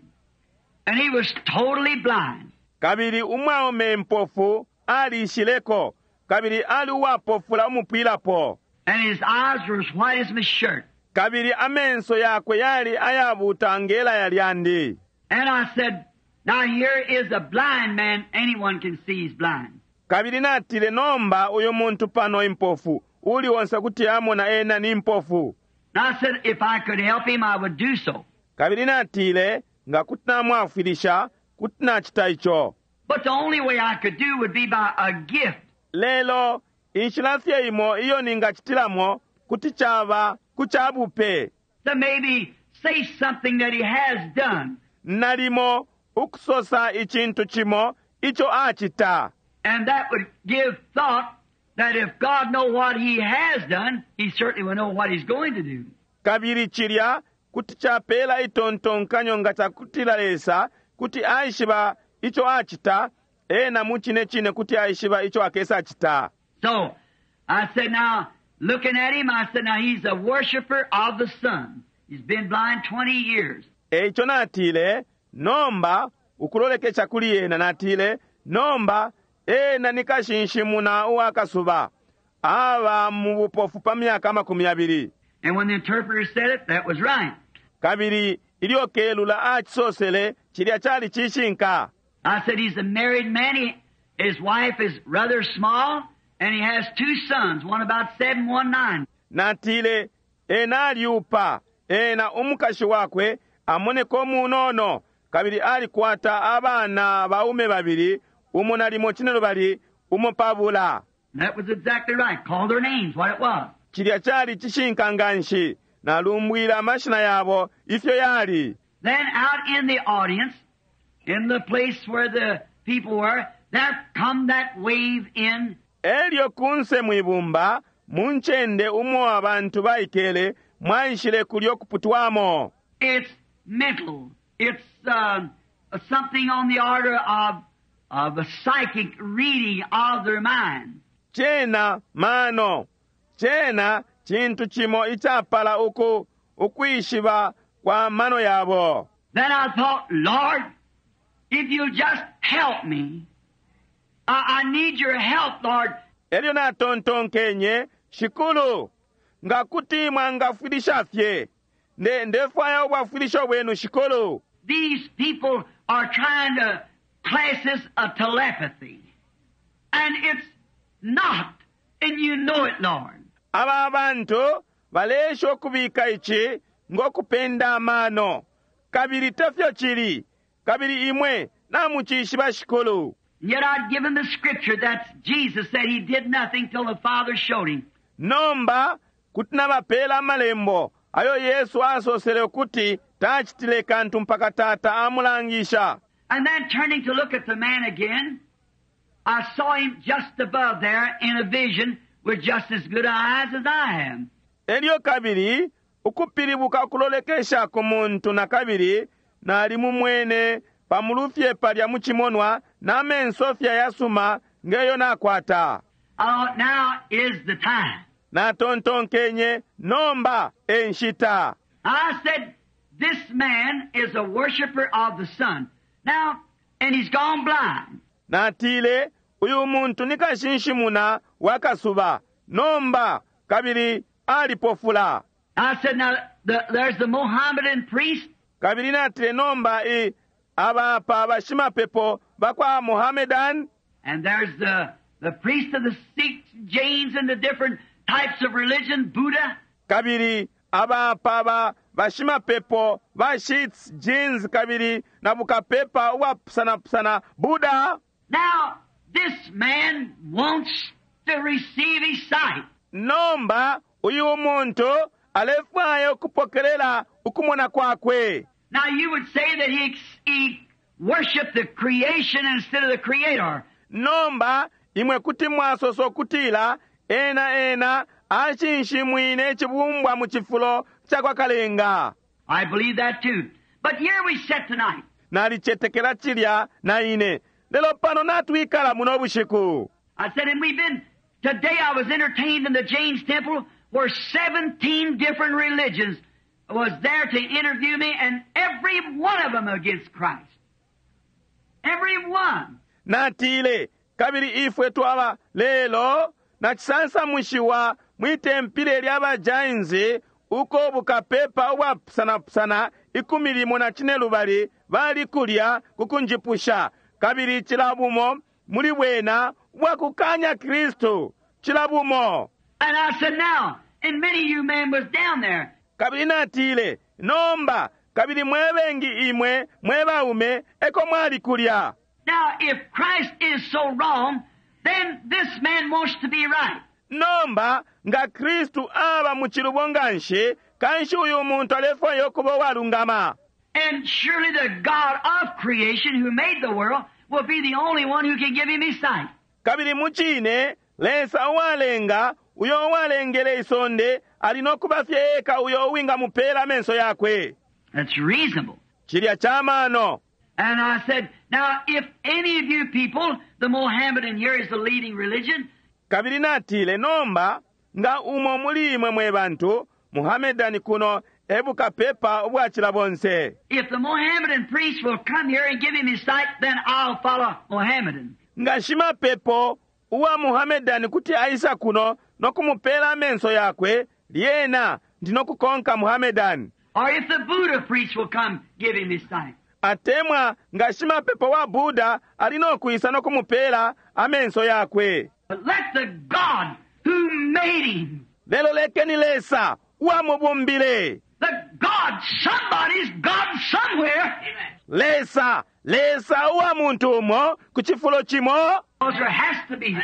And he was totally blind. Kabili umwaume mpofu alishileko kabili ali uwapofula umupwilapo. And his eyes were as white as my shirt. Kabili amenso yakwe yali ayabuta ngela yalyandi. And I said, now here is a blind man. Anyone can see he's blind. Kabili natile nomba uyu muntu pano impofu uli onse kuti amona ena ni mpofu. And I said, if I could help him, I would do so. Kabili natile nga kuti namwafwilisha kuti nachita ico. But the only way I could do would be by a gift. Lelo inshila fye imo iyo ningachitilamo kuti chaba kuchabupe. To maybe say something that he has done. Nalimo ukusosa ichintu chimo icho achita. And that would give thought that if God know what he has done, he certainly will know what he's going to do. Kabili chilya kuti chapela itontonkanyo nga chakutila Lesa kuti aishiba icho achita, ena muchine chine kuti aishiba icho akesa achita. So, I said now, looking at him, I said now he's a worshiper of the sun. He's been blind 20 years. Eicho natile, nomba ukulolekesha kuli ena natile, nomba ena nikashinshimuna uwakasuba aba mu bupofu pa myaka 20. And when the interpreter said it, that was right. Kabili ilyo kelula achisosele chilya chali chishinka. I said he's a married man. His wife is rather small, and he has 2 sons, one about 7, one 9. Natile ena aliupa ena umukashi wakwe amoneko munono kabili alikwata abana baume babili umo nalimo 5 umo 2. And that was exactly right. Call their names, what it was. Chilya chali chishinka nganshi nalumbwila amashina yabo ifyo yali. Then out in the audience, in the place where the people were, there come that wave in. Elyo kunse mwibumba munchende umo abantu baikele mwaishile kulyo kuputwamo. It's mental. It's something on the order of a psychic reading of their mind. Chena mano. Chena chintu chimo ichapala uku ukwishiba kwa mano yabo. Then I thought, Lord, if you just help me, I need your help, Lord. Elyo natontonkenye, Shikulu, ngakuti mwangafwilisha fye. Ndefwaya ubwafwilisho bwenu, Shikulu. These people are trying to class this a telepathy. And it's not. And you know it, Lord. Aba bantu balesha okubika ichi ngokupenda amano. Kabili tefyo chili. Kabili imwe namuchishiba Shikulu. Yet I'd given the scripture that Jesus said he did nothing till the Father showed him. Nomba kuti nabapela amalembo ayo Yesu asosele ukuti tachitile kantu mpaka Tata amulangisha. And then turning to look at the man again, I saw him just above there in a vision with just as good eyes as I am. Elyo kabili ukupilibuka kulolekesha ku muntu na kabili nali mumwene pamulufye palya mucimonwa na menso fye ayasuma ngeyo nakwata. I thought, now is the time. Natontonkenye, nomba e nshita. I said, this man is a worshiper of the sun. Now, and he's gone blind. Natile, uyu muntu ni kashinshimuna wa kasuba nomba, kabili alipofula. I said, now, there's the Mohammedan priest. Kabili natile, nomba i aba apa bashimapepo bakwa Mohammedan. And there's the priest of the Sikhs, Jains, and the different types of religion, Buddha. Kabili aba apa ba bashimapepo ba Sikhs, Jains, kabili na bukapepa ubwapusanapusana, Buddha. Now, this man wants to receive his sight. Nomba, uyu muntu alefwaya ukupokelela ukumona kwakwe. Now, you would say that he worshiped the creation instead of the Creator. Nomba, imwe kuti mwasosa ukutila ena ena ashinshimwine icibumbwa mu cifulo ca kwa Kalenga. I believe that too. But here we sit tonight. Nalicetekela cilya na ine. Lelo pano natwikala muno bushiku. I said, and we've been, today I was entertained in the James Temple where 17 different religions was there to interview me, and every one of them against Christ. Every one. Natile, kabili ifwe twaba lelo nacisansamushiwa mwitempile lya ba Jains uko bukapepa ubwapusanapusana ikumi limo na cine lubali bali kulya kukunjipusha, kabili cila bumo muli bwena ubwakukanya Kristu, cila bumo. And I said, now, and many of you men was down there. Kabili natile, nomba, kabili mwe bengi imwe mwe baume eko mwali kulya. Now, if Christ is so wrong, then this man wants to be right. Nomba, nga Kristu aba mu cilubo nganshi, kanshi uyu muntu alefwaya ukuba uwalungama. And surely the God of creation who made the world will be the only one who can give him his sight. Kabili mu cine, Lesa uwalenga, uyo uwalengele isonde, ali no kuba fye eka uyo uwingamupela amenso yakwe. That's reasonable. Cilya ca mano. And I said, now if any of you people, the Mohammedan here is the leading religion. Kabili natile, nomba, nga umo muli imwe mwe bantu, Muhammadani kuno ebukapepa ubwacila bonse. If the Mohammedan priest will come here and give him his sight, then I'll follow Mohammedan. Nga shimapepo uwa Muhammadani kuti aisa kuno no kumupela amenso yakwe, lyena ndino kukonka Muhammadani. Or if the Buddha priest will come, give him his sight. Atemwa nga shimapepo wa Buddha ali no kuisa no kumupela amenso yakwe. But let the God who made him, Lelo lekeni Lesa uwamubumbile. The God, somebody's God somewhere. Lesa, Lesa uwa muntu umo ku cifulo cimo. Because there has to be.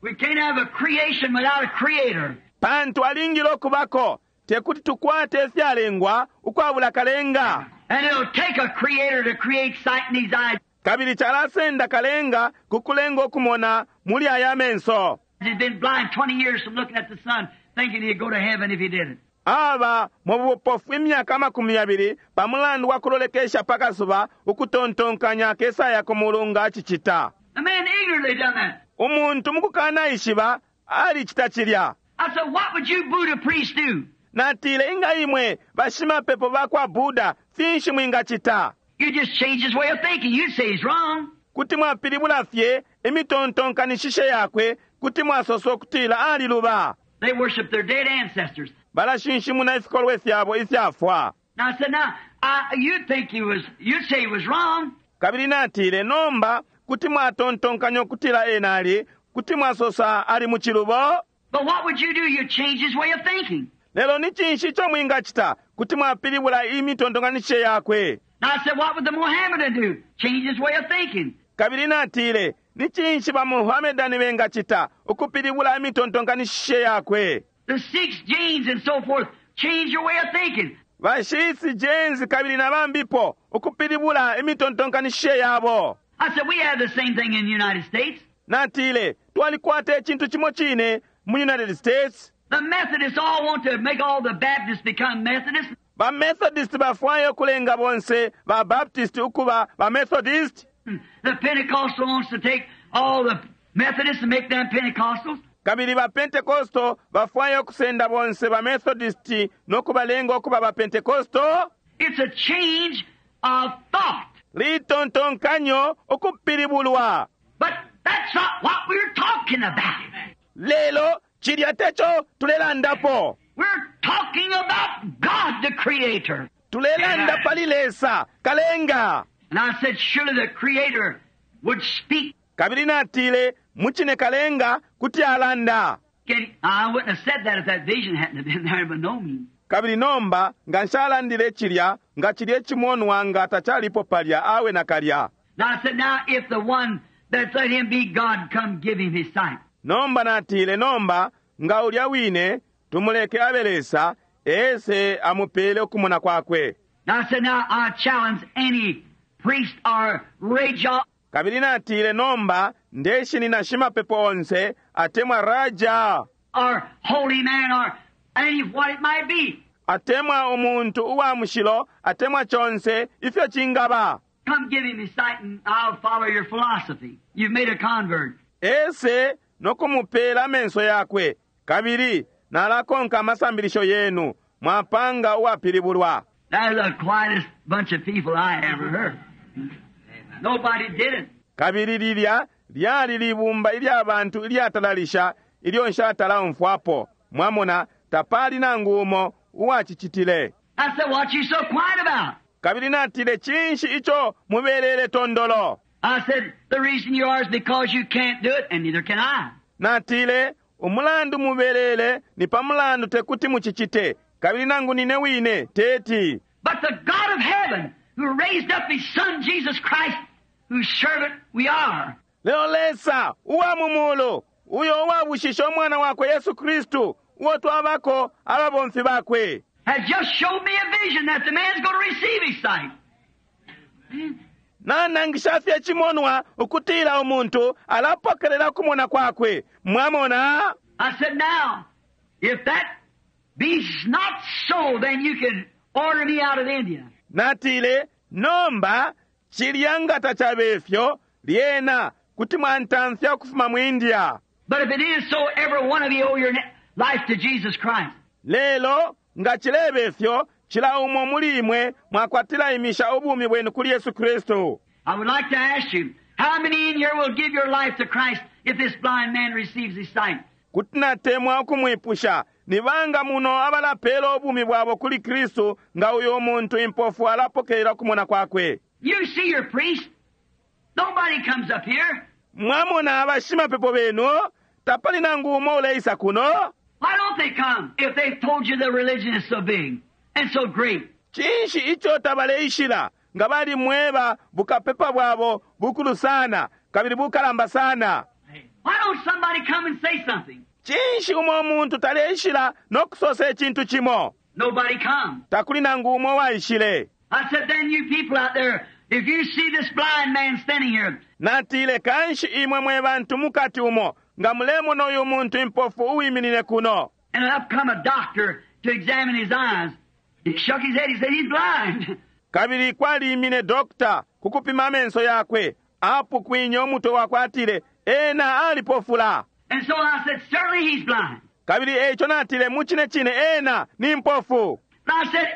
We can't have a creation without a creator. Pantu alingile okubako, tekuti tukwate ifyalengwa ukwabula kalenga. And it'll take a creator to create sight in his eyes. Kabili chalasenda kalenga kukulenga okumona muli aya menso. He's been blind 20 years from looking at the sun, thinking he'd go to heaven if he did it. Aba mu bupofu imyaka makumi yabili pamulandu wa kulolekesha pakasuba ukutontonkanya kesaya ku mulungu acicita. The man ignorantly done that. Umuntu mukukana ishiba alicita cilya. I said, what would you Buddha priests do? Natile inga imwe bashimapepo bakwa Buddha finshi mwingacita? You just change his way of thinking. You'd say he's wrong. Kuti mwapilibula fye imitontonkanishishe yakwe, kuti mwasosa okutila aliluba. They worship their dead ancestors. Balashinshimuna ifikolwe fyabo ifyafwa. Now I said, now, I, you'd think he was, you'd say he was wrong. Kabili natile, nomba, kuti mwatontonkanya okutila ena ali, kuti mwasosa ali mu cilubo. But what would you do? You'd change his way of thinking. Lelo ni cinshi ico mwingacita? Kuti mwapilibula imitontonkanishishe yakwe. Now I said, what would the Mohammedan do? Change his way of thinking. Kabili natile, ni cinshi ba Muhammedani bengacita? Ukupilibula imitontonkanishishe yakwe. The Sikhs, Jains, and so forth, change your way of thinking. Ba Sikhs, Jains, kabili na bambipo, ukupilibula imitontonkanishishe yabo. I said, we have the same thing in the United States. Natile, twalikwata icintu cimo cine mu United States. The Methodists all want to make all the Baptists become Methodists. Ba Methodist bafwaya ukulenga bonse ba Baptist ukuba ba Methodist. The Pentecostal wants to take all the Methodists and make them Pentecostals. Kabili ba Pentecostal bafwaya ukusenda bonse ba Methodist no kubalenga ukuba ba Pentecostal. It's a change of thought. Litontonkanyo ukupilibulwa. But that's not what we're talking about. Lelo cilya teco tulelandapo. We're talking about God the Creator. Tulelanda pali Lesa kalenga. And I said, surely the Creator would speak. Kabili natile mucine kalenga kuti alanda. I wouldn't have said that if that vision hadn't have been there by no means. Kabili nomba nga nshalandile cilya nga cilya icimonwa nga tacalipo palya awe nakalya. Now I said, now if the one that let him be God come give him his sight. Nomba natile nomba nga ulya wine tumuleke abe Lesa ese amupele ukumona kwakwe. Now I said, now I challenge any priest or raja. Kabili natile nomba ndeshinina shimapepo onse atemwa raja. Or holy man or any what it might be. Atemwa umuntu uwa mushilo atemwa chonse ifyo chingaba. Come give him his sight and I'll follow your philosophy. You've made a convert. Ese nokumupela amenso yakwe kabili nalakonka amasambilisho yenu mwapanga uwapilibulwa. That's the quietest bunch of people I ever heard. Nobody did it. Kabili lilya lyali libumba ilya bantu ilyatalalisha ilyo nshatala umfwapo. Mwamona tapali nangu umo uwacicitile. I said, what you so quiet about? Kabili natile cinshi ico mubelele tondolo? I said, the reason you are is because you can't do it, and neither can I. Natile umulandu mubelele ni pamulandu tekuti mucicite kabili nangu nine wine teti. But the God of heaven who raised up his son Jesus Christ, whose servant we are. Lelo Lesa uwa mumulu uyo uwabushisha umwana wakwe Yesu Kristu uwo twabako ababomfi bakwe. Has just showed me a vision that the man's going to receive his sight. Nanangisha fye chimonwa ukutila umuntu alapokelela kumona kwakwe. Mwamona? I said, now, if that be not so, then you can order me out of India. Natile, nomba, cilya nga tacabefyo, lyena, kuti mwantamfya ukufuma mu India. But if it is so, every one of you owe your life to Jesus Christ. Lelo, nga cilebefyo, cila umo muli imwe mwakwatila imisha ubumi bwenu kuli Yesu Kristu. I would like to ask you, how many in here will give your life to Christ if this blind man receives his sight? Kuti natemwa ukumwipusha, ni banga muno abalapela ubumi bwabo kuli Kristu nga uyo muntu impofu alapokelela kumona kwakwe. You see your priest. Nobody comes up here. Mwamona abashimapepo benu, tapali nangu umo uleisa kuno. Why don't they come if they've told you the religion is so big and so great? Cinshi ico tabaleishila nga bali mweba bukapepa bwabo bukulu sana kabili bukalamba sana. Why don't somebody come and say something? Cinshi umo muntu taleishila no kusosa icintu cimo? Nobody come. Takuli nangu umo waishile. I said, then you people out there, if you see this blind man standing here, Natile kanshi imwe mwe bantu mukati umo nga mulemona uyu muntu impofu uwiminine kuno. And up come a doctor to examine his eyes. He shook his head. He said, he's blind. Kabili kwalimine dokta kukupima amenso yakwe apukwinye umutwe wakwe atile ena alipofula. And so I said, certainly he's blind. Kabili eco natile mucine cine ena ni mpofu. And I said,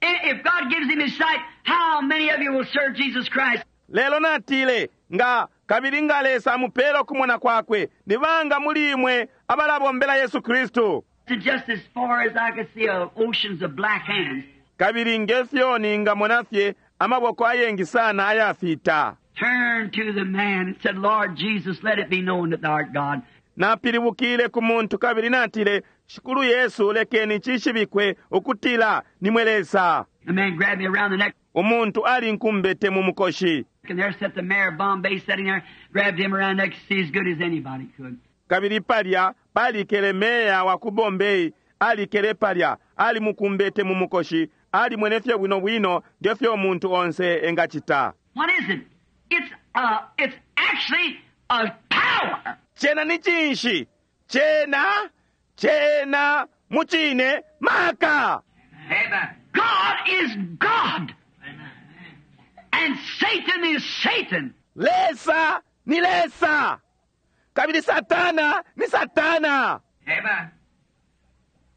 if God gives him his sight, how many of you will serve Jesus Christ? Lelo natile nga kabili nga Lesa amupela ukumona kwakwe ni banga muli imwe abalabombela Yesu Kristu. And just as far as I could see, oceans of black hands. Kabili ngefyo ningamona fye amaboko ayengi sana ayafita. Turned to the man and said, Lord Jesus, let it be known that thou art God. Napilibukile ku muntu kabili natile, Shikulu Yesu lekeni cishibikwe ukutila nimwe Lesa. The man grabbed me around the neck. Umuntu alinkumbete mu mukoshi. And there sat the mayor of Bombay sitting there, grabbed him around the neck, see as good as anybody could. Kabili palya palikele meya wa ku Bombay alikele palya alimukumbete mu mukoshi alimwene fye bwino bwino ngefyo umuntu onse engacita. What is it? It's actually a power. Cena ni cinshi? Cena, cena mucine maka. God is God. And Satan is Satan. Lesa ni Lesa kabili Satana ni Satana.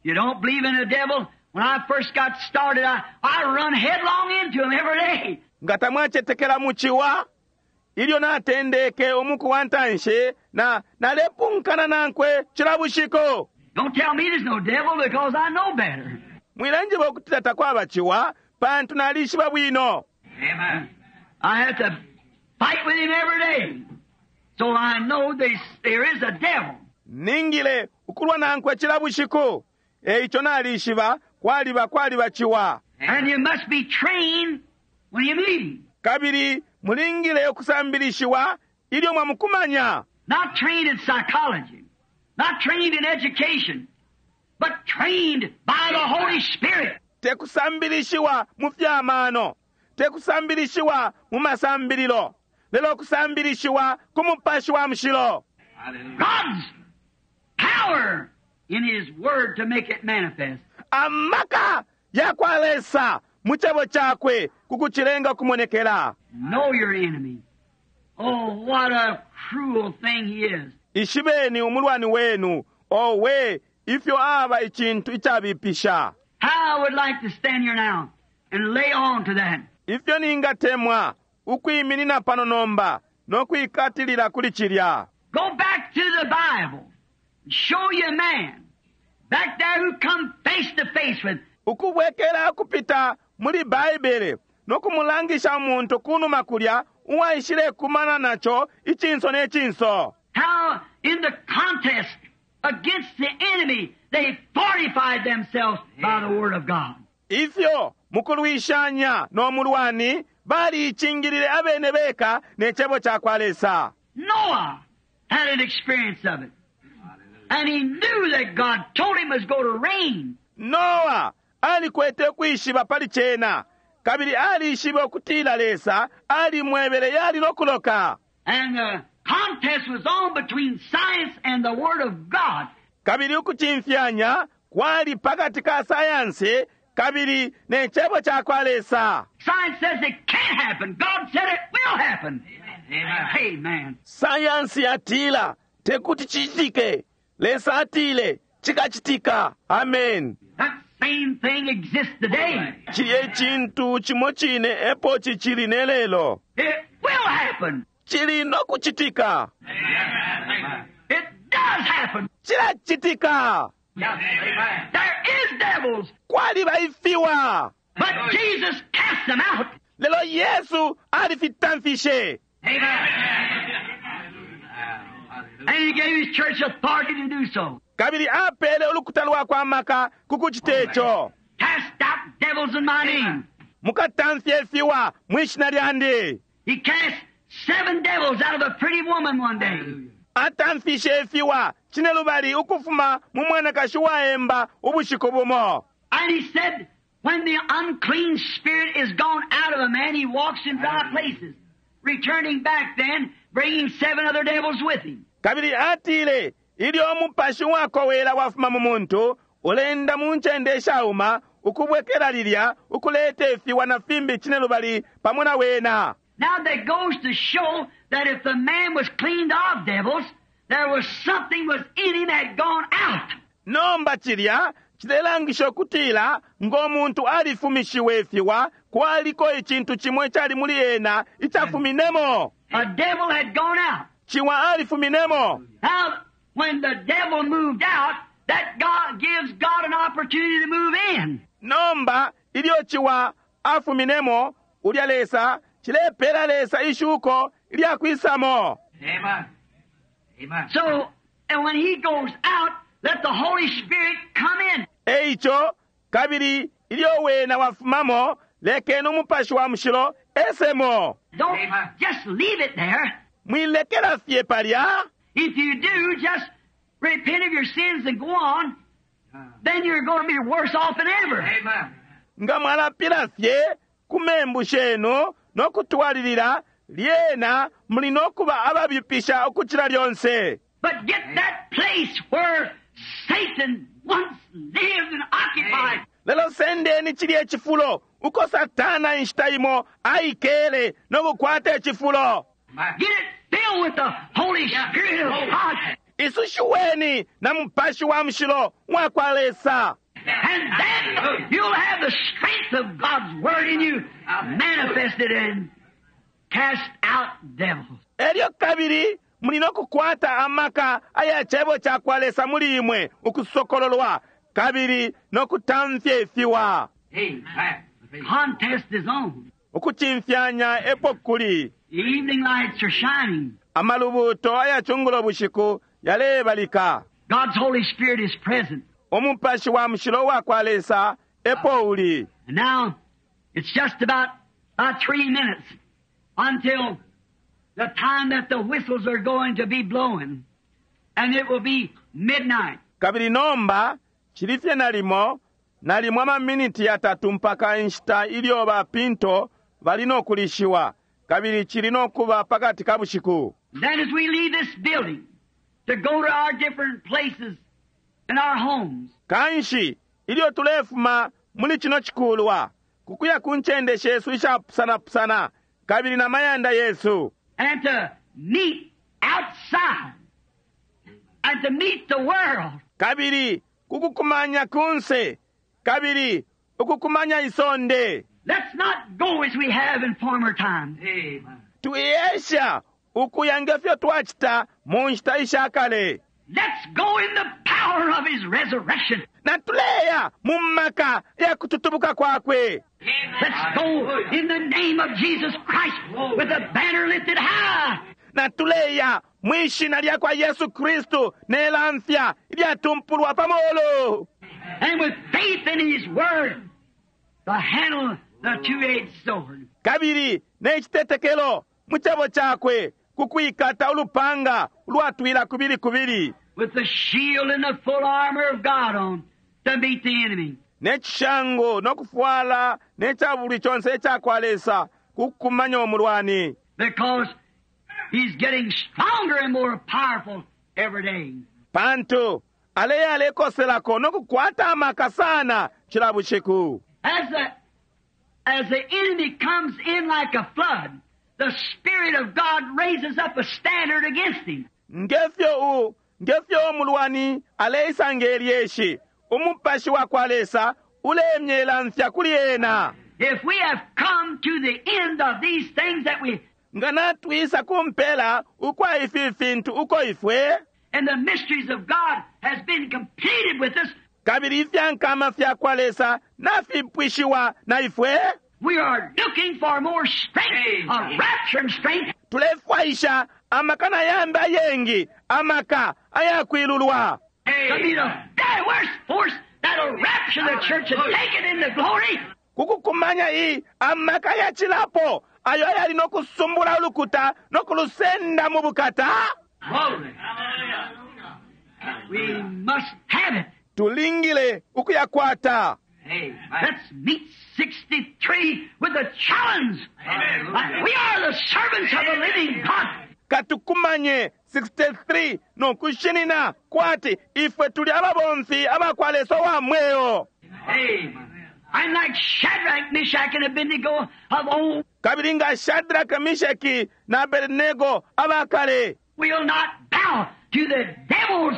You don't believe in the devil? When I first got started, I run headlong into him every day. Nga tamwacetekela muchiwa ilyo natendeke umuku wa ntanshi na nalepunkana nankwe cila bushiku. Don't tell me there's no devil because I know better. Mwilanjiba ukutila takwaba chiwa pantu nalishiba bwino. I have to fight with him every day. So I know there is a devil. Ningile ukulwa nankwe cila bushiku. Eicho nalishiba kwaliba kwaliba chiwa. And you must be trained when you meet him. Kabili mulingile ukusambilishiwa ilyo mwamukumanya. Not trained in psychology, not trained in education, but trained by the Holy Spirit. Tekusambilishiwa mu fyamano, tekusambilishiwa mu masambililo, lelo kusambilishiwa ku mupashi wa mushilo. God's power in His Word to make it manifest. Amaka ya kwa Lesa mu chebo chakwe kukuchilenga kumonekela. Know your enemy. Oh, what a cruel thing he is. Ishibeni umulwani wenu, owe ifyo aba ichintu ichabipisha. How I would like to stand here now and lay on to that. Ifyo ningatemwa ukwiminina pano nomba nokwikatilila kuli chilya. Go back to the Bible. Show you a man back there who come face to face with. Ukubwekela kupita muli Baibele nokumulangisha umuntu kunuma kulya uwaishile kumana nacho ichinso ne chinso. How in the contest against the enemy they fortified themselves by the Word of God. Ifyo mukulwishanya no mulwani baliichingilile abene beka ne chebo cha kwa Lesa. Noah had an experience of it. And he knew that God told him it was going to rain. Noah alikwete kwishiba pali chena kabili alishiba ukutila Lesa alimwebele yali nokuloka. And the contest was on between science and the Word of God. Kabili ukuchimfyanya kwali pakati ka sayansi kabili ne chebo cha kwa Lesa. Science says it can't happen. God said it will happen. Amen. Sayansi yatila tekuti chichitike. Lesa atile chikachitika. Amen. That same thing exists today. Chiliye chintu chimo chine epo chichili ne lelo. It will happen. Chili nokuchitika. It does happen. Chilachitika. There is devils. Kwaliba ifiwa. But Jesus cast them out. Lelo Yesu alifitamfishe. And he gave his church authority to do so. Kabili apele ulukuta lwakwe amaka kukuchita icho. Cast out devils in my name. Mukatamfye ifiwa mwishina lyandi. He cast 7 devils out of a pretty woman one day. Atamfishe ifiwa chine lubali ukufuma mu mwanakashi waemba ubushiku bumo. And he said, when the unclean spirit is gone out of a man, he walks in dry places, returning back then, bringing 7 other devils with him. Kabili atile ilyo umupashi wakowela wafuma mu muntu ulenda mu ncende ishauma ukubwekela lilya ukuleta ifiwa na fimbi chine lubali pamo na wena. Now that goes to show that if the man was cleaned of devils, there was something was in him that had gone out. Nomba chilya chilelangisha ukutila ng'omuntu alifumishiwe ifiwa kwaliko ichintu chimwe chali muli ena ichafuminemo. A devil had gone out. Chiwa alifuminemo. Now, when the devil moved out, that God gives God an opportunity to move in. Nomba ilyo chiwa afuminemo ulya Lesa chilepela Lesa ishuko ilyakwisamo. Amen. Amen. So, and when he goes out, let the Holy Spirit come in. Eicho kabili ilyo wena wafumamo lekeni umupashi wa mushilo esemo. Don't just leave it there. Mwilekela fye palya. If you do, just repent of your sins and go on. Then you're going to be worse off than ever. Amen. Nga mwalapila fye ku membu shenu nokutwalilila lyena muli nokuba ababipisha ukuchila lyonse. But get that place where Satan once lived and occupied. Lelo sendeni cilye cifulo uko Satana inshita imo aikele no kukwata icifulo. Get it filled with the Holy Spirit of God. Isushiweni na Mupashi wa Mushilo wa kwa Lesa. And then you'll have the strength of God's Word in you manifested and cast out devils. Elyo kabili muli no kukwata amaka aya cebo ca kwa Lesa muli imwe ukusokololwa kabili no kutamfya ifiwa. Contest is on. Ukucimfyanya epo kuli. The evening lights are shining. Amalubuto aya cungulo bushiku yalebalika. God's Holy Spirit is present. Umupashi wa mushilo wa kwa Lesa epo uli. And now it's just about 3 minutes until the time that the whistles are going to be blowing, and it will be midnight. Kabili nomba cili fye nalimo nalimo amaminiti yatatu mpaka inshita ilyo ba pinto bali no kulishiwa, kabili cili no kuba pakati ka bushiku. Then as we leave this building to go to our different places and our homes, Kanshi ilyo tulefuma muli chino chikulwa kukuya ku ncende shesu ishapusanapusana kabili na mayanda yesu, and to meet outside and to meet the world, kabili kukukumanya kunse kabili ukukumanya isonde, let's not go as we have in former times. Tuyesha ukuya ngefyo twachita mu nshita ishakale. Let's go in the power of His resurrection. Na tuleya mu maka ya kututubuka kwakwe. Let's go in the name of Jesus Christ with the banner lifted high. Na tuleya mwishina lya kwa Yesu Kristu nelamfya ilyatumpulwa pamulu. And with faith in His word, to handle the two-edged sword. Kabili nechitetekelo mu cebo chakwe kukwikata ulupanga ulwatwila kubili kubili. With the shield and the full armor of God on to meet the enemy. Nechishango nokufwala nechabuli chonse echakwa Lesa kukumanya omulwani. Because he's getting stronger and more powerful every day. Pantu aleya alekoselako nokukwata amaka sana chila bushiku. As the enemy comes in like a flood, the Spirit of God raises up a standard against him. Ngefyo ngefyo omulwani aleisa ngelyeshi, umupashi wa kwa Lesa ulemyela mfya kuli ena. If we have come to the end of these things that we Nga natwisa kumpela ukwa ifi fintu uko ifwe, and the mysteries of God has been completed with us, kabili ifyankama fya kwa Lesa nafipwishiwa na ifwe, we are looking for more strength, a rapture and strength. Tulefwaisha amaka na yambi ayengi, amaka ayakwilulwa. To be the very worst force that'll rapture the church and take it into glory. Kukukumanya iyi amaka yachilapo ayo ayali nokusumbula ulukuta nokulusenda mu bukata. Glory. We must have it. Tulingile ukuyakwata. Let's meet 63 with a challenge. We are the servants of the living God. Katukumanye 63 nokushinina kwati ifwe tuli ababomfi abakwa Lesa wa mweo. I'm like Shadrach, Meshach, and Abednego of old. Kabili nga Shadrach, Meshach na Abednego abakale. We'll not bow to the devils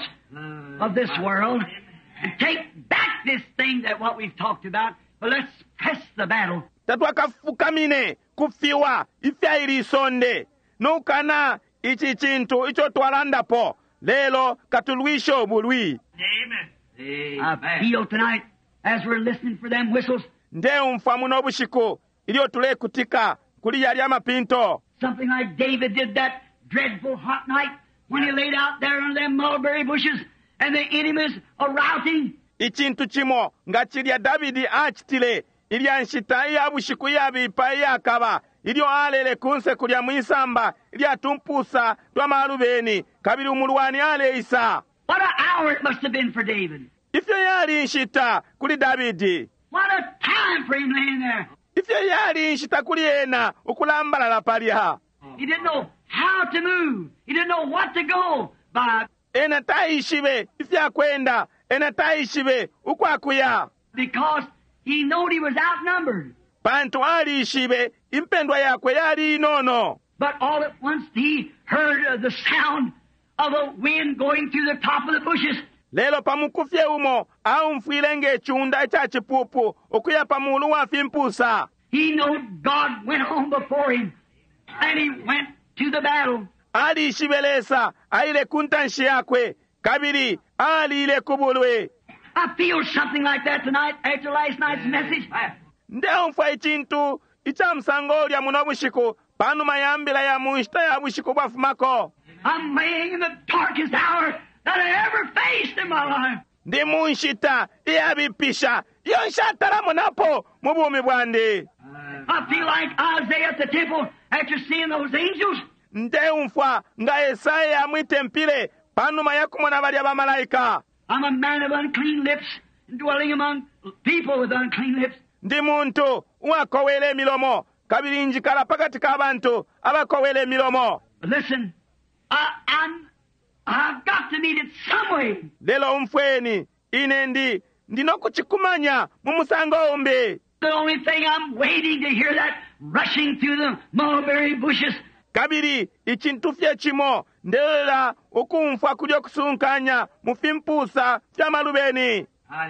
of this world and take back this thing that what we've talked about, but let's press the battle. Tatwakafukamine kufiwa ifyaili isonde nukana ichi chintu icho twalandapo lelo katulwisho obulwi. I feel tonight as we're listening for them whistles. Ndeumfwa muno bushiku ilyo tulekutika kuli yali amapinto. Something like David did that dreadful hot night when he laid out there under them mulberry bushes and the enemies are routing. Ichintu chimo nga chilya Davidi achitile ilya nshita iya bushiku iyabipa iyakaba ilyo alele kunse kulya mwisamba ilya tumpusa twa malubeni kabili umulwani aleisa. What an hour it must have been for David. Ifyo yali nshita kuli Davidi. What a time for him laying there. Ifyo yali nshita kuli ena ukulambalala palya. He didn't know how to move. He didn't know what to go by. Ena taishibe ifyakwenda, ena taishibe ukwakuya. Because he knowed he was outnumbered. Pantu alishibe impendwa yakwe yali inono. But all at once he heard the sound of a wind going through the top of the bushes. Lelo pamukufye umo aumfwile ng'eciunda ica cipupu ukuya pa mulu wa fimpusa. He knowed God went on before him, and he went to the battle. Alishibe Lesa aile ku ntanshi yakwe kabili aliile ku bulwi. I feel something like that tonight after last night's message. Ndeumfwa icintu ica musango ulya muno bushiku panuma ya mbila ya mu nshita ya bushiku bwafumako. I'm laying in the darkest hour that I ever faced in my life. Ndi mu nshita iyabipisha iyo nshatalamonapo mu bumi bwandi. I feel like Isaiah at the temple after seeing those angels. Ndeumfwa nga Esaya mwitempile panuma ya kumona balya bamalaika. I'm a man of unclean lips, dwelling among people with unclean lips. Ndi muntu uwakowela imilomo kabili njikala pakati ka bantu abakowela imilomo. But listen, I've got to meet it some way. Lelo umfweni, ine ndi ndinokuchikumanya mu musango umbi. The only thing I'm waiting to hear that rushing through the mulberry bushes. Kabili icintu fye cimo ndelela ukumfwa kulyo kusunkanya mu fimpusa fya malubeni.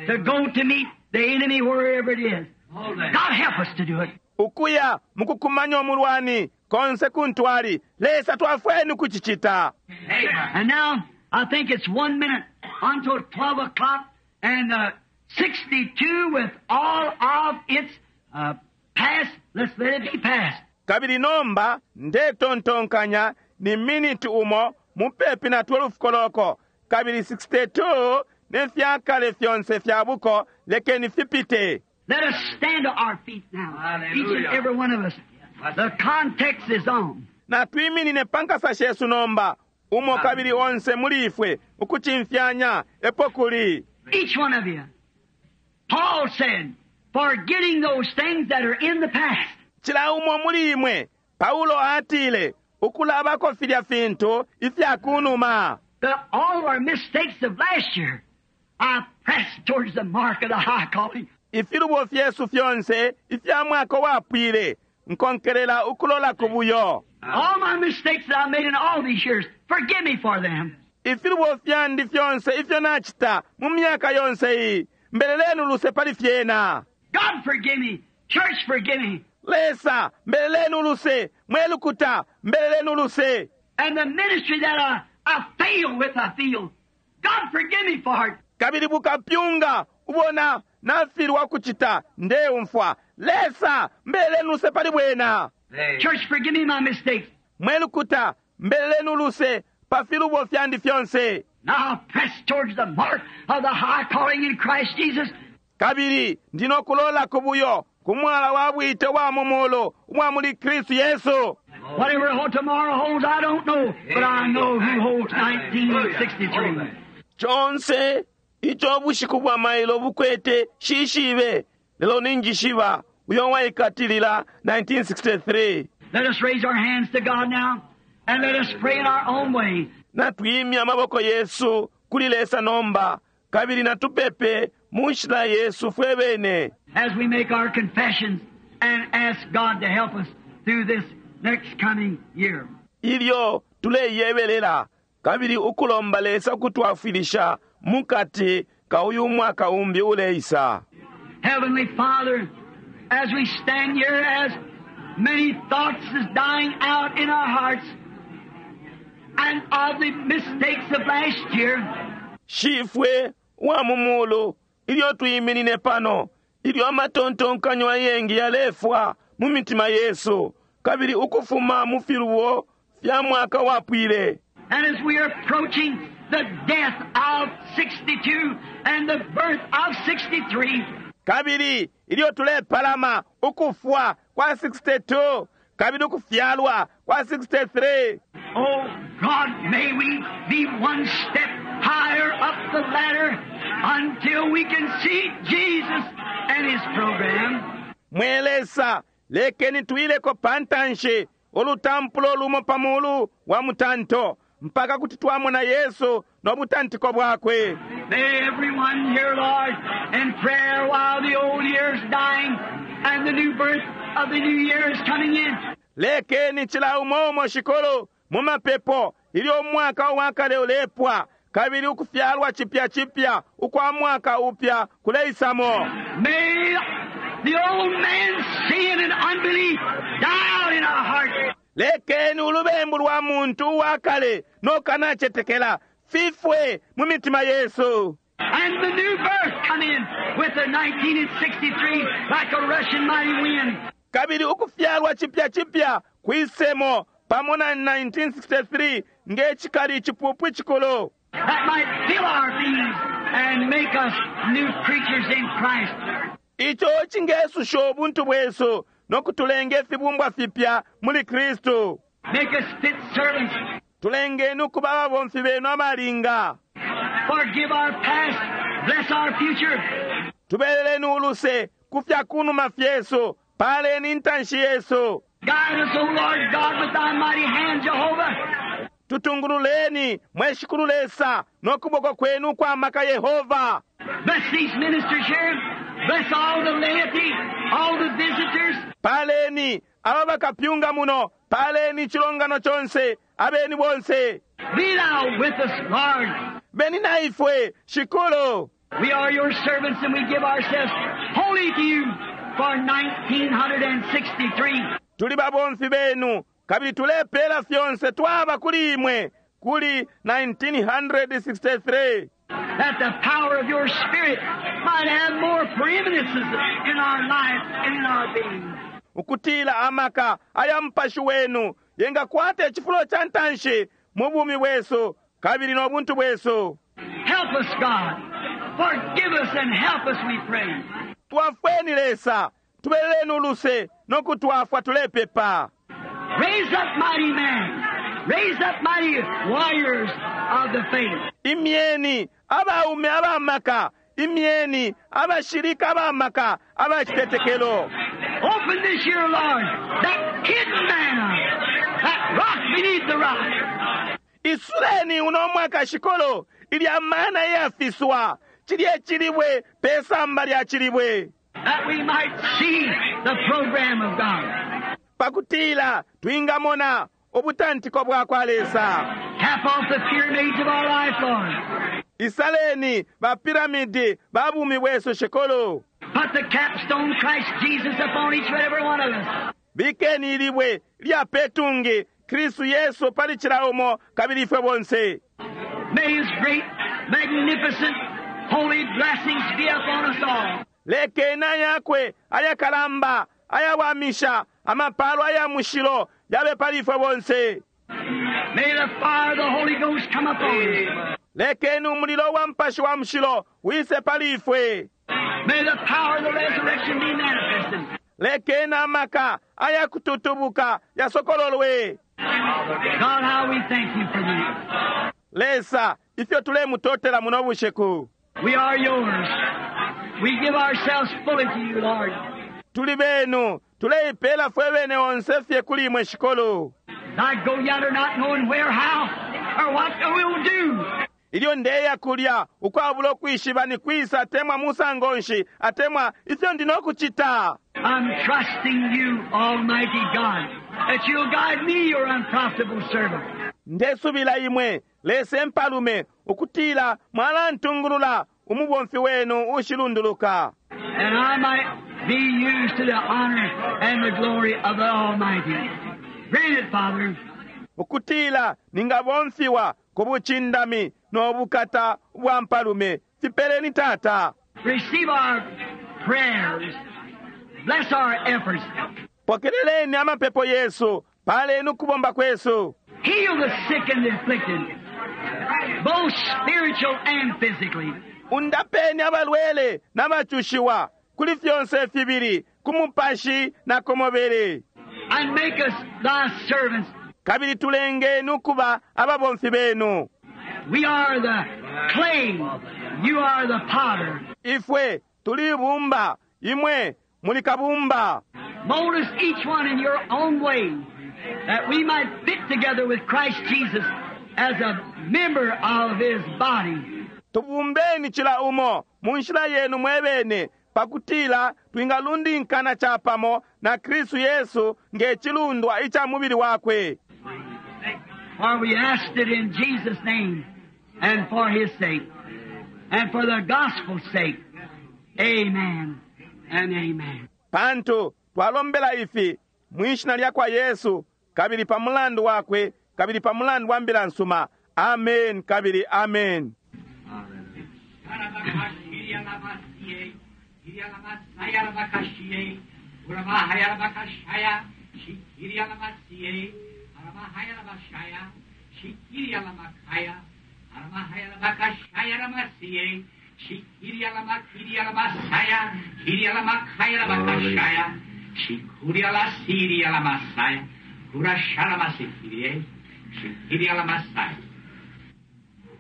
To go to meet the enemy wherever it is. God help us to do it. Ukuya mukukumanya omulwani konse kuntwali Lesa twafweni kuchichita. And now I think it's 1 minute until 12 o'clock and 62 with all of its past. Let's let it be past. Kabili nomba ndetontonkanya ni minute umo mupepi na 12 koloko kabili 62 ne fyakale fyonse fya buko lekeni fipite. Let us stand to our feet now. Each and every one of us. The context is on. Na twiminine pankasa shesu nomba umo kabili onse muli ifwe ukuchimfyanya epo kuli. Each one of you. Paul said, forgetting those things that are in the past. Chila umo muli imwe Paulo atile ukulabako filya fintu ifya kunuma. All our mistakes of last year, I press towards the mark of the high calling. Ifilubo fyesu fyonse ifya mwaka wapwile nkonkelela ukulola kubuyo. All my mistakes that I made in all these years, forgive me for them. Ifilubo fyandi fyonse ifyo nachita mu myaka yonse iyi mbelelenu luse pali fyena. God forgive me. Church forgive me. Lesa mbelelenu luse, mwelukuta mbelelenu luse. And the ministry that I fail with, I feel. God forgive me for it. Kabili bukapyunga ubona nafilwa kuchita ndeumfwa. Lesa mbelelenu luse pali bwena. Church forgive me my mistakes. Mwelukuta mbelelenu luse pa filubo fyandi fyonse. Now press towards the mark of the high calling in Christ Jesus. Kabili ndinokulola kubuyo kumwala wa bwite wa mumulu wa muli Kristu Yesu. Whatever tomorrow holds, I don't know, but I know who holds 1963. Chonse icho bushiku bwa mailo bukwete shishibe lelo ninjishiba uyo waikatilila 1963. Let us raise our hands to God now and let us pray in our own way. Natwimya amaboko Yesu kuli Lesa nomba kabili natupepe mu nshila Yesu fwe bene. As we make our confessions and ask God to help us through this next coming year. Ilyo tuleyebelela kabili ukulomba Lesa kutwafwilisha mukati ka uyu mwaka umbi uleisa. Heavenly Father, as we stand here, as many thoughts is dying out in our hearts and of the mistakes of last year. Shifwe wa mumulu ilyo tuyiminine pano ilyo amatontonkanyo ayengi yalefwa mu mitima yesu kabili ukufuma mu filubo fya mwaka wapwile. And as we are approaching the death of 62 and the birth of 63. Kabili ilyo tulepalama ukufwa kwa 62 kabili ukufyalwa kwa 63. Oh God, may we be one step higher up the ladder until we can see Jesus and his program. Mwelesa lekeni tuileko pantanshi olutampulo lumo pamulu wa mutanto mpaka kuti twamona Yesu no butantiko bwakwe. May everyone here, Lord, in prayer while the old year's dying and the new birth of the new year is coming in. Lekeni cila umo umo shikulu mu mapepo ilyo umwaka uwakale ulepwa kabili ukufyalwa cipya cipya ukwa mwaka upya kuleisamo. May the old man's sin and unbelief die out in our hearts. Lekeni ulubembu lwa muntu uwakale no kanacetekela fifwe mu mitima yesu. And the new birth come in with the 1963 like a rushing mighty wind. Kabili ukufyalwa cipya cipya kwisemo pamo na 1963 nge cikali icipupu icikulu. That might fill our beings and make us new creatures in Christ. Ico cingesusha ubuntu bwesu no kutulenga ifibumbwa fipya muli Kristu. Make us fit servants. Tulengeni ukuba ababomfi benu abalinga. Forgive our past. Bless our future. Tubeleleni uluse ku fya kunuma fyesu, paleni intanshi yesu. Guide us, O Lord God, with thy mighty hand, Jehovah. Tutungululeni mwe Shikulu Lesa no kuboko kwenu ukwa maka Yehova. Bless these ministers here. Bless all the laity, all the visitors. Paleni aba bakapyunga muno, paleni icilongano conse, abeni bonse. Be thou with us, Lord. Beni na ifwe, Shikulu. We are your servants and we give ourselves wholly to you for 1963. Tuli babomfi benu, kabili tulepela fyonse twaba kuli imwe, kuli 1963. That the power of your Spirit might have more preeminences in our life and in our being. Ukutila amaka aya mupashi wenu yengakwata icifulo ca ntanshi mu bumi bwesu kabili no buntu bwesu. Help us, God. Forgive us and help us, we pray. Twafweni Lesa, tubeleleni uluse no kutwafwa tulepepa. Raise up mighty men. Raise up mighty warriors of the faith. Imyeni abaume abamaka, imyeni abashilika abamaka abacitetekelo. Open this year, Lord, that hidden manna, that rock beneath the rock. Isuleni uno mwaka shikolo ilya mana iyafiswa cilye cilibwe pe samba lya cilibwe. That we might see the program of God. Pakutila twingamona ubutantiko bwa kwa Lesa. Cap off the pyramids of our life, Lord. Isaleni ba piramidi ba bumi bwesu shikolo. Put the capstone Christ Jesus upon each and every one of us. Bikeni ilibwe lya petungi Kristu Yesu pali cila umo kabili ifwe bonse. May His great, magnificent, holy blessings be upon us all. Lekeni ayakwe ayakalamba ayawamisha amapalo aya mushilo yabe pali ifwe bonse. May the fire of the Holy Ghost come upon us. Lekeni umulilo wa mpashi wa mushilo wise pali ifwe. May the power of the resurrection be manifested. Lekeni amaka ayakututubuka yasokololwe. God, how we thank you for this. Lesa ifyo tulemutotela muno bushiku. We are yours. We give ourselves fully to you, Lord. Tuli benu tuleipela fwe bene onse fye kuli imwe shikolo. I go yonder not knowing where, how, or what I will do. Ilyo ndeya kulya ukwabula ukwishiba ni kwisa atemwa musango nshi atemwa ifyo ndi nokucita. I'm trusting you, Almighty God, that you'll guide me, your unprofitable servant. Ndesubila imwe Lesa mpalume ukutila mwalantungulula umubomfi wenu ushilunduluka. And I might be used to the honor and the glory of the Almighty. Grant it, Father. Ukutila ningabomfiwa ku bucindami no bukata bwa mpalume. Fipeleni Tata. Receive our prayers. Bless our efforts. Pokeleleni amapepo yesu, paleni ukubomba kwesu. Heal the sick and the afflicted, both spiritual and physically. Undapeni abalwele n'abacushiwa kuli fyonse fibili, ku mupashi na ku mubili. And make us thy servants. Kabili tulengeni ukuba ababomfi benu. We are the clay. You are the potter. Ifwe tuli ibumba, imwe muli kabumba. Mold us each one in your own way, that we might fit together with Christ Jesus as a member of his body. Tubumbeni cila umo mu nshila yenu mwebene pakutila twingalundinkana capamo na Kristu Yesu nge cilundwa ica mubili wakwe. For we asked it in Jesus' name and for his sake and for the gospel's sake. Amen and amen. Pantu twalombela ifi mwishina lya kwa Yesu kabili pa mulandu wakwe kabili pa mulandu wa mbila nsuma. Amen kabili amen.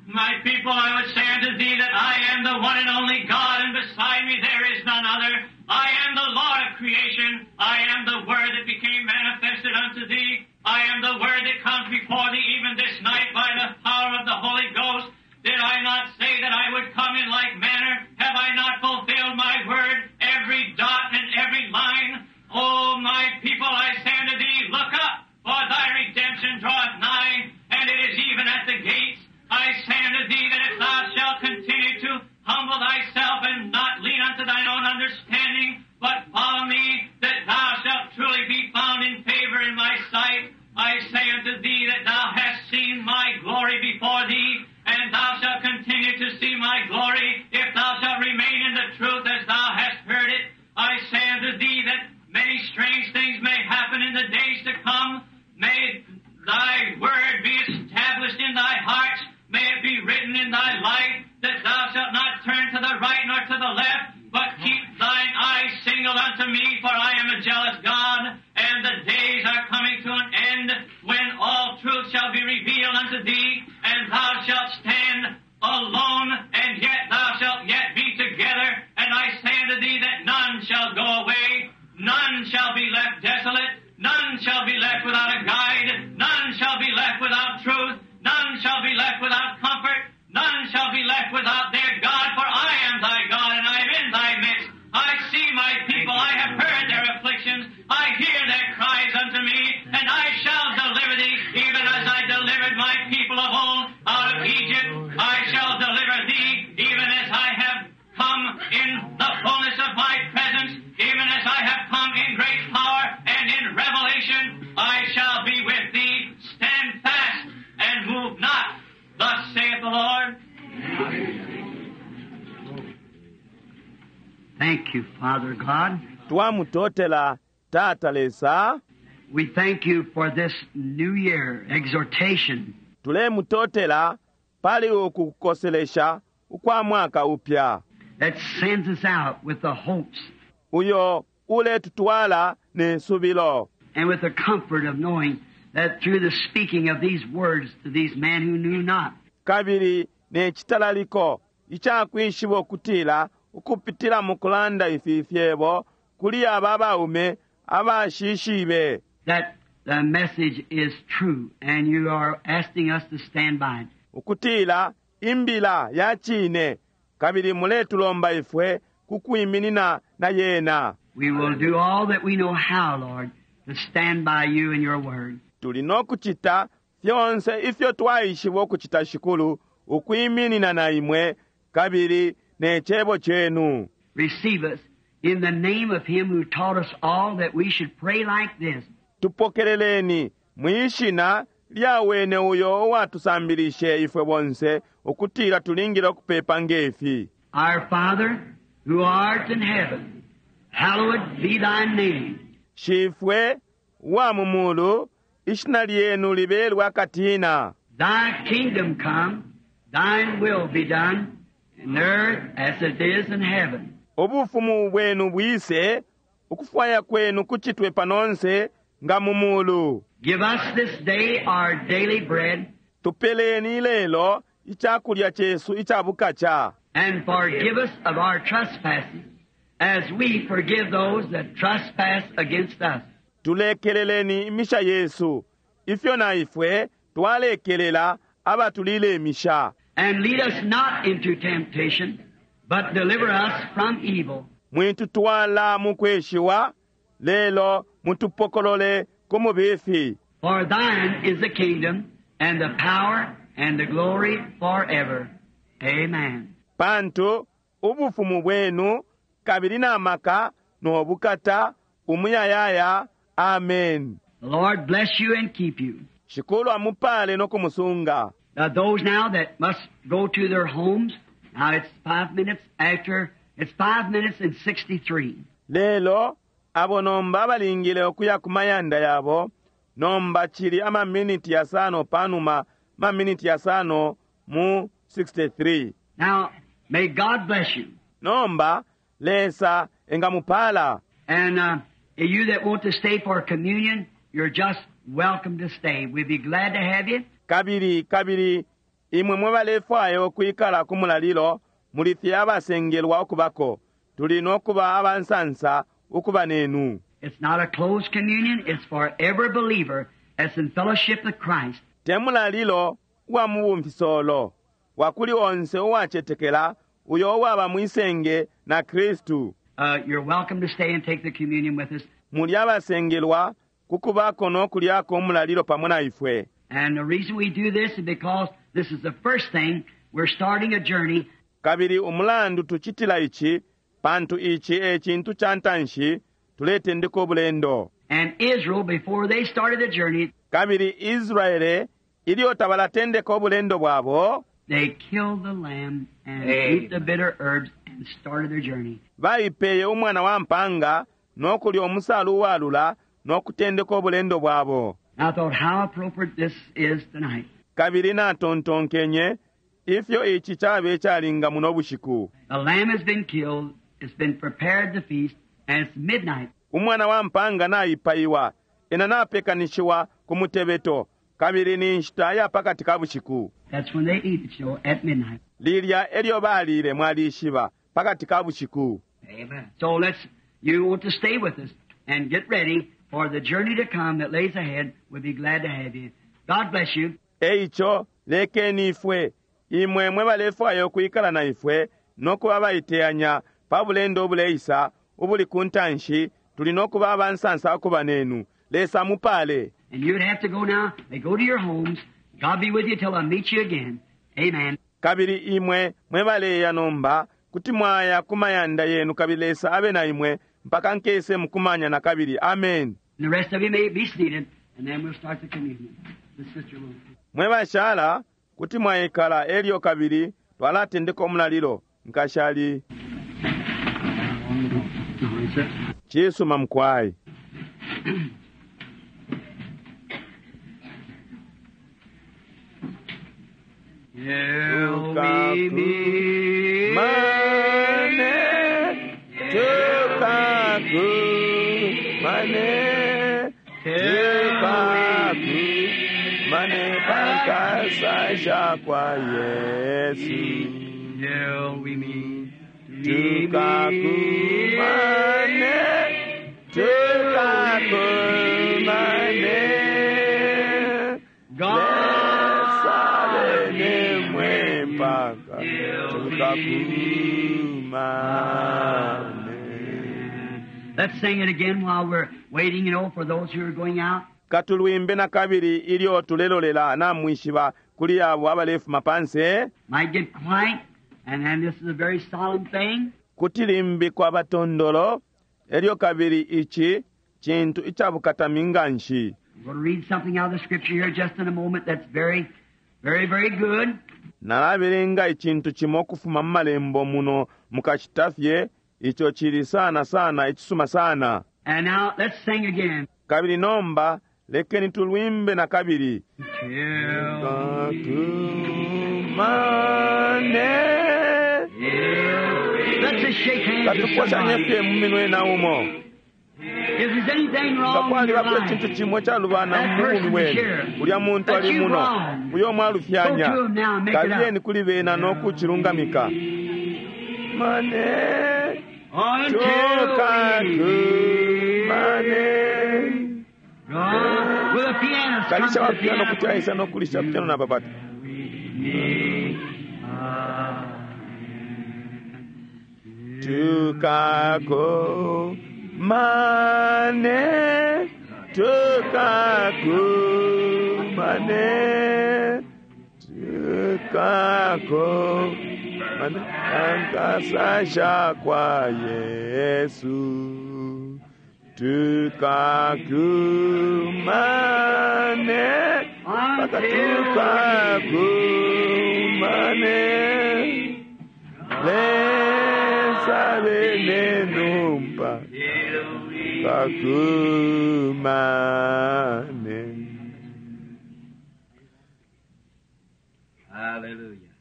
My people, I would say unto thee that I am the one and only God, and beside me there is none other. I am the Lord of creation. I am the Word that became manifested unto thee. I am the Word that comes before thee even this night by the power of the Holy Ghost. Did I not say that I would come in like manner? Have I not fulfilled my word, every dot and every line? O my people, I say unto thee, look up, for thy redemption draweth nigh, and it is even at the gates. I say unto thee that if thou shalt continue to humble thyself and not lean unto thine own understanding, but follow me, that thou shalt truly be found in favor in my sight. I say unto thee that thou hast seen my glory before thee, and thou shalt continue to see my glory, if thou shalt remain in the truth as thou hast heard it. I say unto thee that many strange things may happen in the days to come. May thy word be established in thy hearts. May it be written in thy life that thou shalt not turn to the right nor to the left, but keep thine eyes single unto me, for I am a jealous God, and the days are coming to an end when all truth shall be revealed unto thee, and thou shalt stand alone, and yet thou shalt yet be together. And I say unto thee that none shall go away, none shall be left desolate, none shall be left without a guide, none shall be left without truth, none shall be left without comfort, none shall be left without their God, for I am thy God, and I am in thy midst. I see my people, I have heard their afflictions, I hear their cries unto me, and I shall deliver thee, even as I delivered my people of old out of Egypt. I shall deliver thee, even as I have come in the fullness of my presence, even as I have come in great power and in revelation. I shall be with thee. Stand fast and move not. Thus saith the Lord. Thank you, Father God. Twamutotela Tata Lesa. We thank you for this new year exhortation. Tulemutotela pali uku kukoselesha ukwa mwaka upya that sends us out with the hopes uyo uletutwala ne subilo and with the comfort of knowing that through the speaking of these words to these men who knew not, kabili ne chitalaliko ichakwishiba ukutila ukupitila mu kulanda ifi fyebo kuli aba baume abashishibe that the message is true and you are asking us to stand by it. Ukutila imbila ya chine kabili muletulomba ifwe kukwiminina na yena. We will do all that we know how, Lord, to stand by you and your word. Tuli nokuchita fyonse ifyo twaishiba ukuchita shikulu ukwiminina na imwe kabili ne chebo chenu. Receive us in the name of him who taught us all that we should pray like this. Tupokeleleni mwishina lya wene uyo uwatusambilishe ifwe bonse ukutila tulingile ukupepa ngefi. Our Father, who art in heaven, hallowed be thy name. Shifwe wa mumulu, ishina lyenu libelwa katina. Thy kingdom come, thine will be done, in earth as it is in heaven. Ubufumu bwenu bwise, ukufwaya kwenu kuchitwe panonse nga mumulu. Give us this day our daily bread. Tupeleni lelo ichakulya chesu ichabukacha. And forgive us of our trespasses, as we forgive those that trespass against us. Tulekeleleni imisha Yesu, ifyo na ifwe twalekelela abatulile imisha. And lead us not into temptation, but deliver us from evil. Mwitutwala mukweshiwa, lelo mutupokolole ku mubifi. For thine is the kingdom, and the power, and the glory forever. Amen. Pantu ubufumu bwenu kabili na maka no bukata umuyayaya. Amen. The Lord bless you and keep you. Shikulu amupale no kumusunga. Now those now that must go to their homes, now it's 5 minutes after, it's 5 minutes and 63. Lelo abo nomba balingile ukuya ku mayanda yabo, nomba chili ama minute yasano panuma ma minute yasano mu 63. Now, may God bless you. Nomba Lesa engamupala. And you that want to stay for communion, you're just welcome to stay. We'd be glad to have you. Kabili, kabili, imwe mwe balefwayo kwikala ku mulalilo, muli fye abasengelwa ukubako. Tuli nokuba abansansa ukuba nenu. It's not a closed communion. It's for every believer that's in fellowship with Christ. Te mulalilo wa mubumfisolo, wakuli onse uwachetekela, uyo uwaba mwisenge na Kristu. You're welcome to stay and take the communion with us. Muli abasengelwa kukubako nokulyako umulalilo pamo na ifwe. And the reason we do this is because this is the first thing we're starting a journey. Kabili umulandu tuchitila ichi, pantu ichi e chintu cha ntanshi tuletendeka obulendo. And Israel, before they started the journey, kabili Israele ilyo tabalatendeka obulendo bwabo, they killed the lamb and ate the bitter herbs and started their journey. Baipeye umwana wa mpanga nokulya omusalu walula nokutendeka obulendo bwabo. I thought how appropriate this is tonight. Kabili natontonkenye ifyo ichi chabe chalinga muno bushiku. The lamb has been killed, it's been prepared to feast, and it's midnight. Umwana wa mpanga naipaiwa, ena napekanishiwa ku mutebeto, kabili ni nshita ya pakati ka bushiku. That's when they eat it, you know, at midnight. Lilya elyo balile mwalishiba pakati ka bushiku. Amen. So you want to stay with us and get ready for the journey to come that lays ahead. We'll be glad to have you. God bless you. Eicho lekeni ifwe imwe mwe balefwayo kwikala na ifwe nokuba baiteyanya pa bulendo obuleisa ubuli ku ntanshi tuli nokuba abansansa okuba nenu. Lesa mupale. And you'd have to go now. They go to your homes. God be with you till I meet you again. Amen. Kabili imwe mwe baleya nomba kuti mwaya ku mayanda yenu kabili Lesa abe na imwe mpaka nkese mukumanya na kabili. Amen. And the rest of you may be seated, and then we'll start the communion. The sister will. Mwe bashala kuti mwayikala elyo kabili twalatendeka omulalilo nkashali. Chisuma mkwai. Mane pankasa kwa Yesu. Tukakumane, tukakumane, Lesa bene mwempaka, tukakumane. Let's sing it again while we're waiting, you know, for those who are going out. Katulwimbe na kabili ilyo tulelolela na mwishiba kuli abo abalefuma panse. Might get quiet, and then this is a very solemn thing. Kutilimbi kwa batondolo elyo kabili ichi chintu ichabukatami nganshi. I'm going to read something out of the scripture here just in a moment that's very, very, very good. Nalabelenga ichintu chimo kufuma malembo muno mukachitafye icho chili sana sana ichisuma sana. And now let's sing again. Kabili nomba lekeni tulwimbe na kabili. Tukakumane. Let's just shake hands with Katukwashanye somebody. fye mu minwe na umo. If there's anything wrong in Ngakwali your bakwe life, chintu chimwe chalubana that mu bumi person is bwenu. here. Ulya muntu That ali you muno. wrong. Uyo mwalufyanya. Go to him now and make it up. Kabiyeni kuli bena n'okuchilungamika. Mane. Until Tukakumane. God, with a pianist, come Kalisha to wa the piano piano. kuti aisa n'okulisha piano na papata. meet again. Tukako mane tukako mane tukako mane ankasasha kwa Yesu tukako mane mpaka tukako mane Lesa benenumpa kakumane. Hallelujah.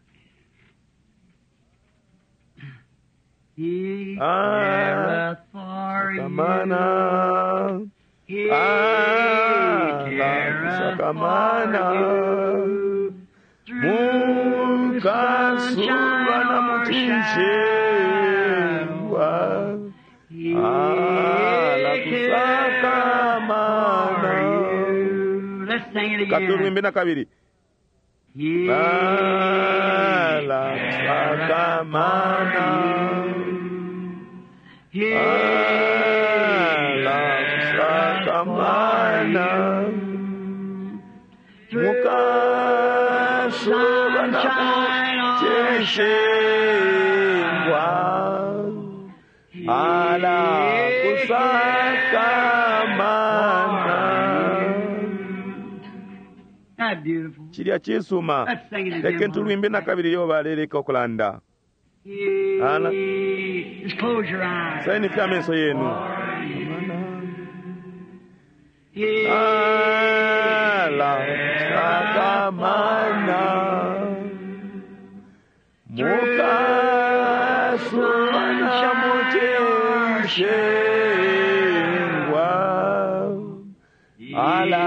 He Ah, careth for you. Sakamana. He Ah, careth sakamana. for you. Through Mukasuba sunshine na or muchinjewa. shadow. He Ah, la careth kusakamana. for you. Let's sing it again. Katulwimbe na kabili. He Ah, la careth kusakamana. for you. He Ah, la careth kusakamana. for you. Through Mukasuba na sunshine or muchinjewa. shadow. Ala kusakamana. That beautiful. Chilya chisuma. Let's sing it again. Leke tulwimbe na kabili yo baleleka okulanda. Ala. Just close your eyes. Saini fya meso yenu. He Ala kusakamana. Mukasuba na muchinjewa. Ala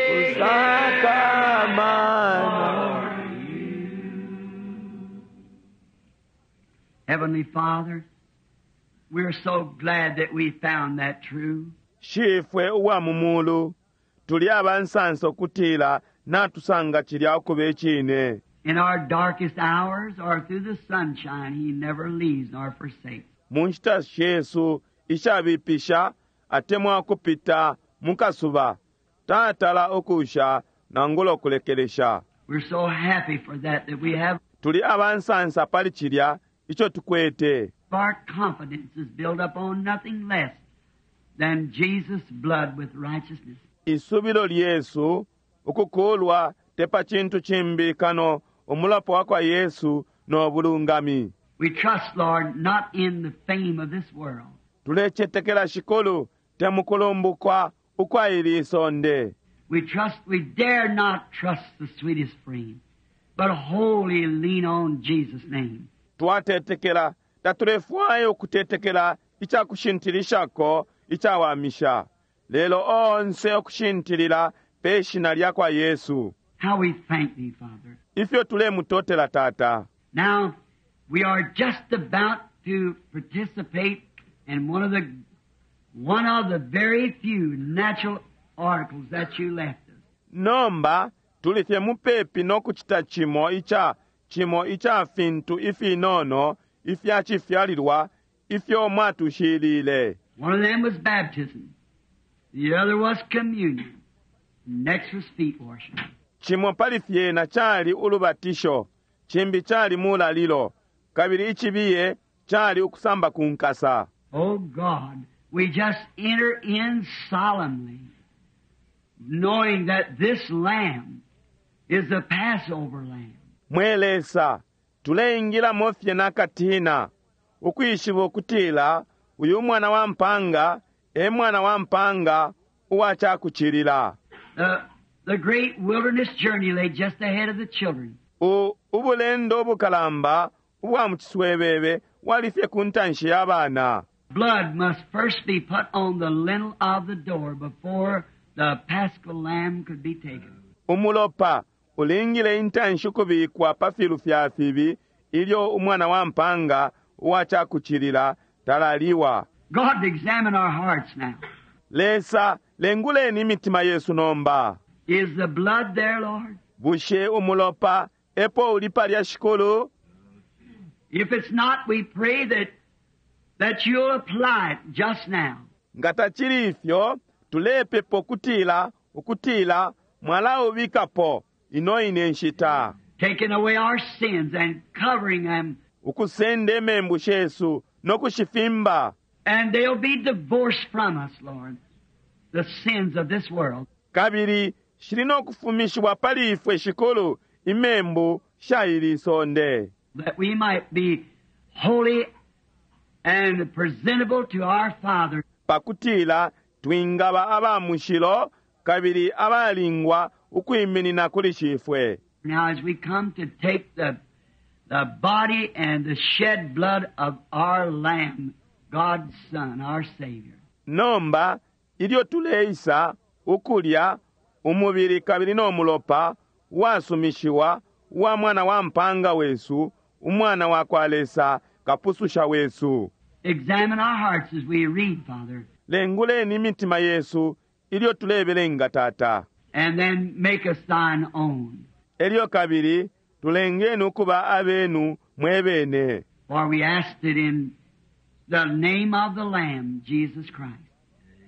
kusakamana. Heavenly Father, we're so glad that we found that true. Shifwe uwa mumulu tuli abansansa okutila natusanga chilya okuba echine. In our darkest hours or through the sunshine, He never leaves nor forsakes. Mu nshita shesu ishabipisha atemwa okupita mu kasuba tatala okusha nangula okulekelesha. We're so happy for that, that we have Tuli abansansa pali chilya icho tukwete. our confidence is built up on nothing less than Jesus' blood with righteousness. Isubilo lyesu ukukulwa tepa chintu chimbi kano omulapo wa kwa Yesu n'obulungami. We trust, Lord, not in the fame of this world, Tulechetekela shikulu temukulumbukwa ukwa ili isonde. We trust, we dare not trust the sweetest frame, but wholly lean on Jesus' name. Twatetekela tatulefwayo okutetekela icakushintilishako icawamisha lelo onse okushintilila pe shina lya kwa Yesu. How we thank thee, Father. Ifyo tulemutotela Tata. Now, we are just about to participate in one of the very few natural articles that you left us. Nomba tuli fye mupepi n'okucita chimo ica chimo ica fintu ifinono ifya chifyalilwa ifyo mwatushilile. One of them was baptism. The other was communion. Next was feet washing. Chimo pali fyena chali ulubatisho, chimbi chali mulalilo, kabili ichibiye chali ukusamba kunkasa. Oh God, we just enter in solemnly, knowing that this lamb is the Passover lamb. Mwe Lesa, tuleingilamo fye nakatina, ukwishiba ukutila uyu mwana wa mpanga e mwana wa mpanga uwa chakuchilila. The great wilderness journey lay just ahead of the children. Ubulendo obukalamba ubwa mu chiswebebe wali fye ku ntanshi ya bana. Blood must first be put on the lintel of the door before the paschal lamb could be taken. Umulopa ulingile intanshi ukubikwa pa filu fya fibi ilyo umwana wa mpanga uwa chakuchilila talaliwa. God, examine our hearts now. Lesa, lenguleni imitima yesu nomba. Is the blood there, Lord? Bushe umulopa Epo uli palya Shikulu? If it's not, we pray that you'll apply it just now. Nga tacili ifyo, tulepepa ukutila mwalaubikapo ino ine nshita. Taking away our sins and covering them. Ukusenda imembu shesu no kushifimba. And they'll be divorced from us, Lord, the sins of this world. Kabili shili no kufumishiwa pali ifwe Shikulu imembu sha ili sonde. That we might be holy and presentable to our Father. Pakutila twingaba aba mushilo kabili abalingwa ukwiminina kuli Shifwe. Now as we come to take the body and the shed blood of our Lamb, God's Son, our Savior. Nomba ilyo tuleisa ukulya umubili kabili no mulopa wasumishiwa wa mwana wa mpanga wesu, umwana wa kwa Lesa, kapususha wesu. Examine our hearts as we read, Father. Lenguleni imitima yesu ilyo tulebelenga, Tata. And then make us thine own. Elyo kabili tulengeni ukuba abenu mwebene. For we asked it in the name of the Lamb, Jesus Christ.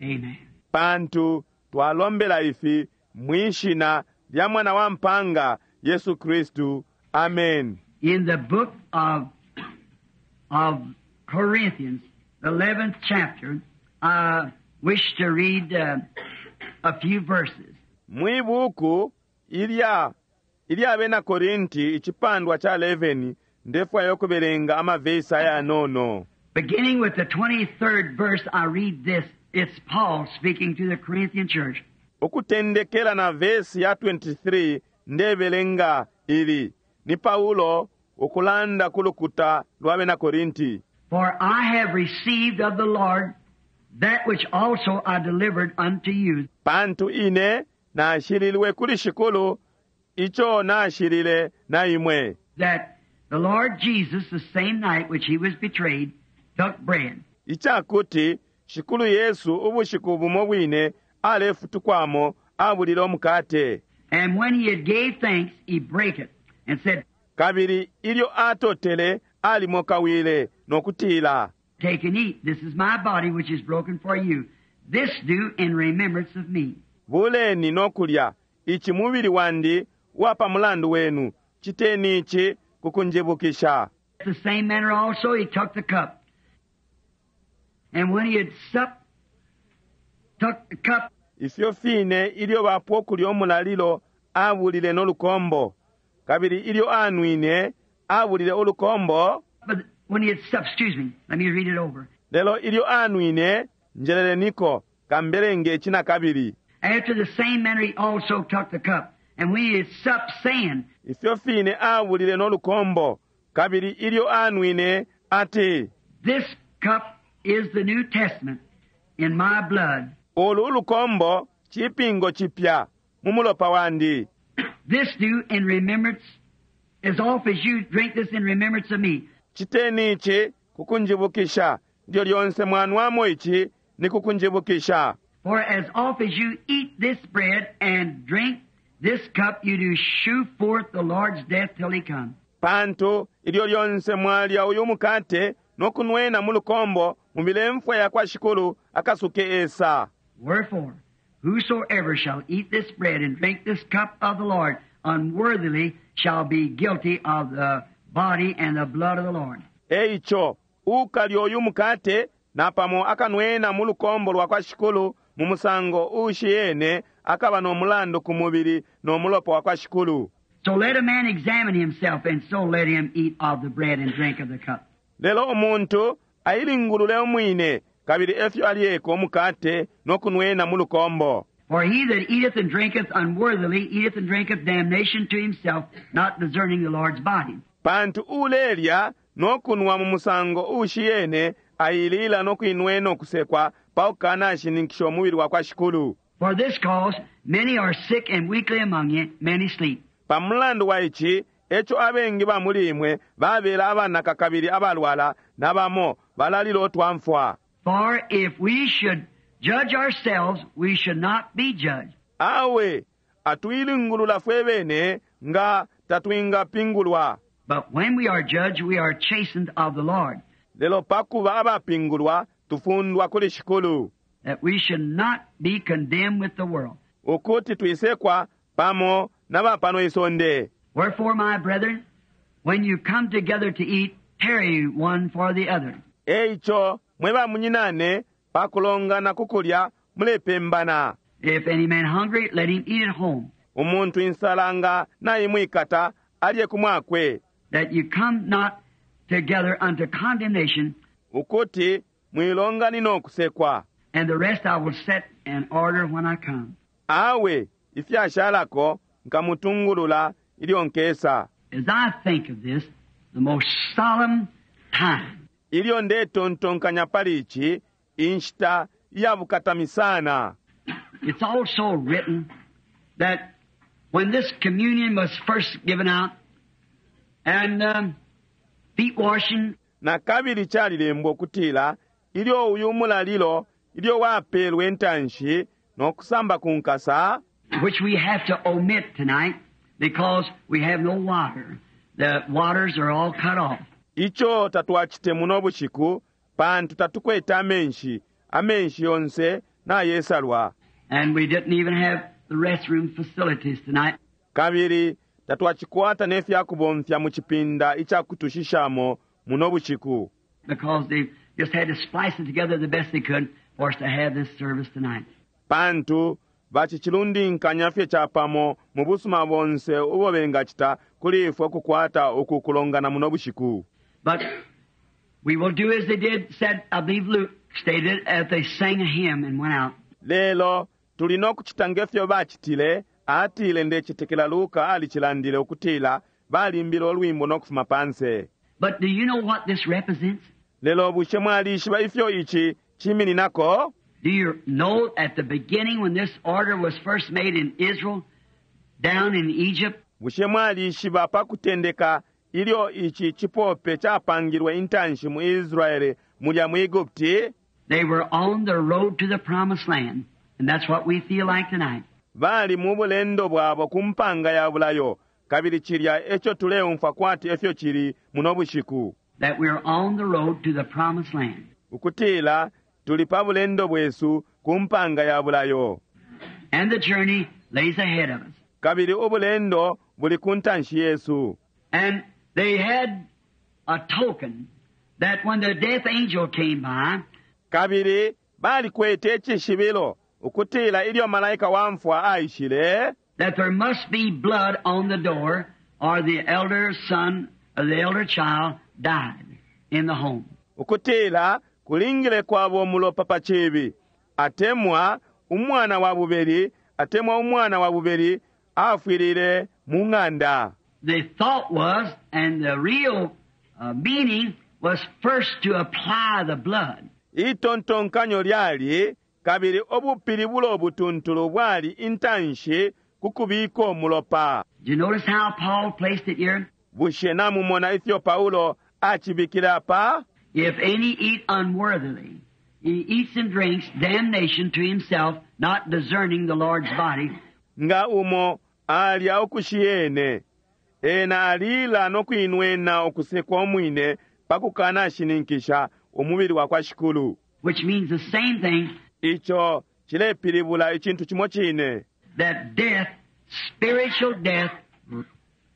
Amen. Pantu twalombela ifi mwishina lya mwana wa mpanga Yesu Kristu. Amen. In the book of Corinthians, the 11th chapter, I wish to read a few verses. Mwibuku ilya bena Korinti icipandwa cha 11 ndefwayo kubelenga amavesi ayanono. Beginning with the 23rd verse, I read this. It's Paul speaking to the Corinthian church. Ukutendekela na vesi ya 23 ndebelenga ili ni Paulo ukulanda kulukuta lwa bena Korinti. For I have received of the Lord that which also I delivered unto you. Pantu ine nashililwe kuli Shikulu icho nashilile na imwe. That the Lord Jesus, the same night which he was betrayed, took bread. Ichakuti Shikulu Yesu ubushiku bumo bwine alefutukwamo abulile omukate. And when he had gave thanks, he brake it and said, Kabili ilyo atotele alimokawile nokutila, Take and eat. This is my body which is broken for you. This do in remembrance of me. Buleni nokulya ichi mubili wandi wapa mulandu wenu, chiteni ichi kukunjibukisha. The same manner also he took the cup. And when he had supped, took the cup. Ifyo fine ilyo bapwo kulya omulalilo abulile nolukombo. Kabili ilyo anwine abulile olukombo. But when he had supped, excuse me, let me read it over. Lelo ilyo anwine njeleleniko kambelenge china kabili. After the same manner he also took the cup. And when he had supped, saying, Ifyo fine abulile nolukombo. Kabili ilyo anwine ati, This cup is the New Testament in my blood. Olu ulukombo chipingo chipya mu mulopa wandi. This do in remembrance, as oft as you drink this in remembrance of me. Chiteni ichi kukunjibukisha, ndyo lyonse mwanwamo ichi ni kukunjibukisha. For as oft as you eat this bread and drink this cup, you do shew forth the Lord's death till he come. Pantu ilyo lyonse mwalya uyu mukate nokunwena mu lukombo mubile mfwa ya kwa Shikulu akasuke esa. Wherefore, whosoever shall eat this bread and drink this cup of the Lord unworthily shall be guilty of the body and the blood of the Lord. Eicho, ukalya uyu mukate napamo akanwena mu lukombo lwa kwa Shikulu mu musango ushiyene akaba no mulandu ku mubili no mulopa wa kwa Shikulu. So let a man examine himself, and so let him eat of the bread and drink of the cup. Lelo umuntu ailingulule umwine kabili efyo alyeko umukate no kunwena mu lukombo. For he that eateth and drinketh unworthily eateth and drinketh damnation to himself, not discerning the Lord's body. Pantu ulelya no kunwa mu musango ushiyene ailila no kuinwena okusekwa paukana ashininkisha umubili wa kwa Shikulu. For this cause many are sick and weakly among you, many sleep. Pamulandu wa ichi echo abengi ba muli imwe babela abanaka kabili abalwala nabamo balalila otwamfwa. For if we should judge ourselves, we should not be judged. Awe atuilingulula fwe bene nga tatwingapingulwa. But when we are judged, we are chastened of the Lord, Lelo pakuba abapingulwa tufundwa kuli Shikulu, that we should not be condemned with the world. ukuti twisekwa pamo na ba pano isonde. Wherefore, my brethren, when you come together to eat, tarry one for the other. Eico mwe bamunyinane pakulongana ku kulya mulepembana. If any man hungry, let him eat at home, Umuntu insala nga naimwikata alye ku mwakwe, that you come not together unto condemnation, ukuti mwilonganina okusekwa. and the rest I will set in order when I come. Awe ifyashalako nkamutungulula ilyo nkesa. As I think of this, the most solemn time Ilyo ndetontonkanya pali ici, inshita iyabukatami sana. It's also written that when this communion was first given out and feet washing Na kabili calilembwa ukutila ilyo uyu mulalilo ilyo wapelwe intanshi no kusamba ku nkasa, which we have to omit tonight because we have no water. The waters are all cut off. ico tatwacite muno bushiku pantu tatukwete amenshi, amenshi yonse nayesalwa. And we didn't even have the restroom facilities tonight. Kabili tatwacikwata ne fyakubomfya mu cipinda ica kutushishamo muno bushiku. because they just had to splice it together the best they could for us to have this service tonight. Pantu bacicilundinkanya fye capamo mu busuma bonse ubo bengacita kuli ifwe ukukwata uku kulongana muno bushiku. But we will do as they did, said, I believe Luke stated, as they sang a hymn and went out. Lelo tuli no kucita ngefyo bacitile, atile ndecetekela Luka alicilandile ukutila balimbile ulwimbo no kufuma panse. But do you know what this represents? Lelo bushe mwalishiba ifyo ici cimininako? Do you know at the beginning when this order was first made in Israel, down in Egypt, Bushe mwalishiba pa kutendeka ilyo ici cipope capangilwe intanshi mu Israele mulya mu Egupti? they were on the road to the promised land. And that's what we feel like tonight. Bali mu bulendo bwabo ku mpanga ya bulayo, kabili cilya eco tuleumfwa kwati efyo cili muno bushiku. That we're on the road to the promised land. Ukutila tuli pa bulendo bwesu ku mpanga ya bulayo, And the journey lays ahead of us. kabili ubulendo buli ku ntanshi yesu. And they had a token that when the death angel came by, Kabili balikwete icishibilo ukutila ilyo malaika wa mfwa aishile, that there must be blood on the door or the elder son or the elder child died in the home. Ukutila kulingile kwabo umulopa pa cibi, atemwa umwana wa bubeli, atemwa umwana wa bubeli afwilile mu ng'anda. The thought was, and the real meaning was first to apply the blood. Itontonkanyo lyali kabili ubupilibulo obutuntulu bwali intanshi ku kubika umulopa. Do you notice how Paul placed it here? Bushe namumona ifyo Paulo acibikile apa? If any eat unworthily, he eats and drinks damnation to himself, not discerning the Lord's body. Nga umo alya ukushiyene, ena alila no kuinwena ukusekwa umwine pa kukanashininkisha umubili wa kwa Shikulu. Which means the same thing, Ico cilepilibula icintu cimo cine, that death, spiritual death,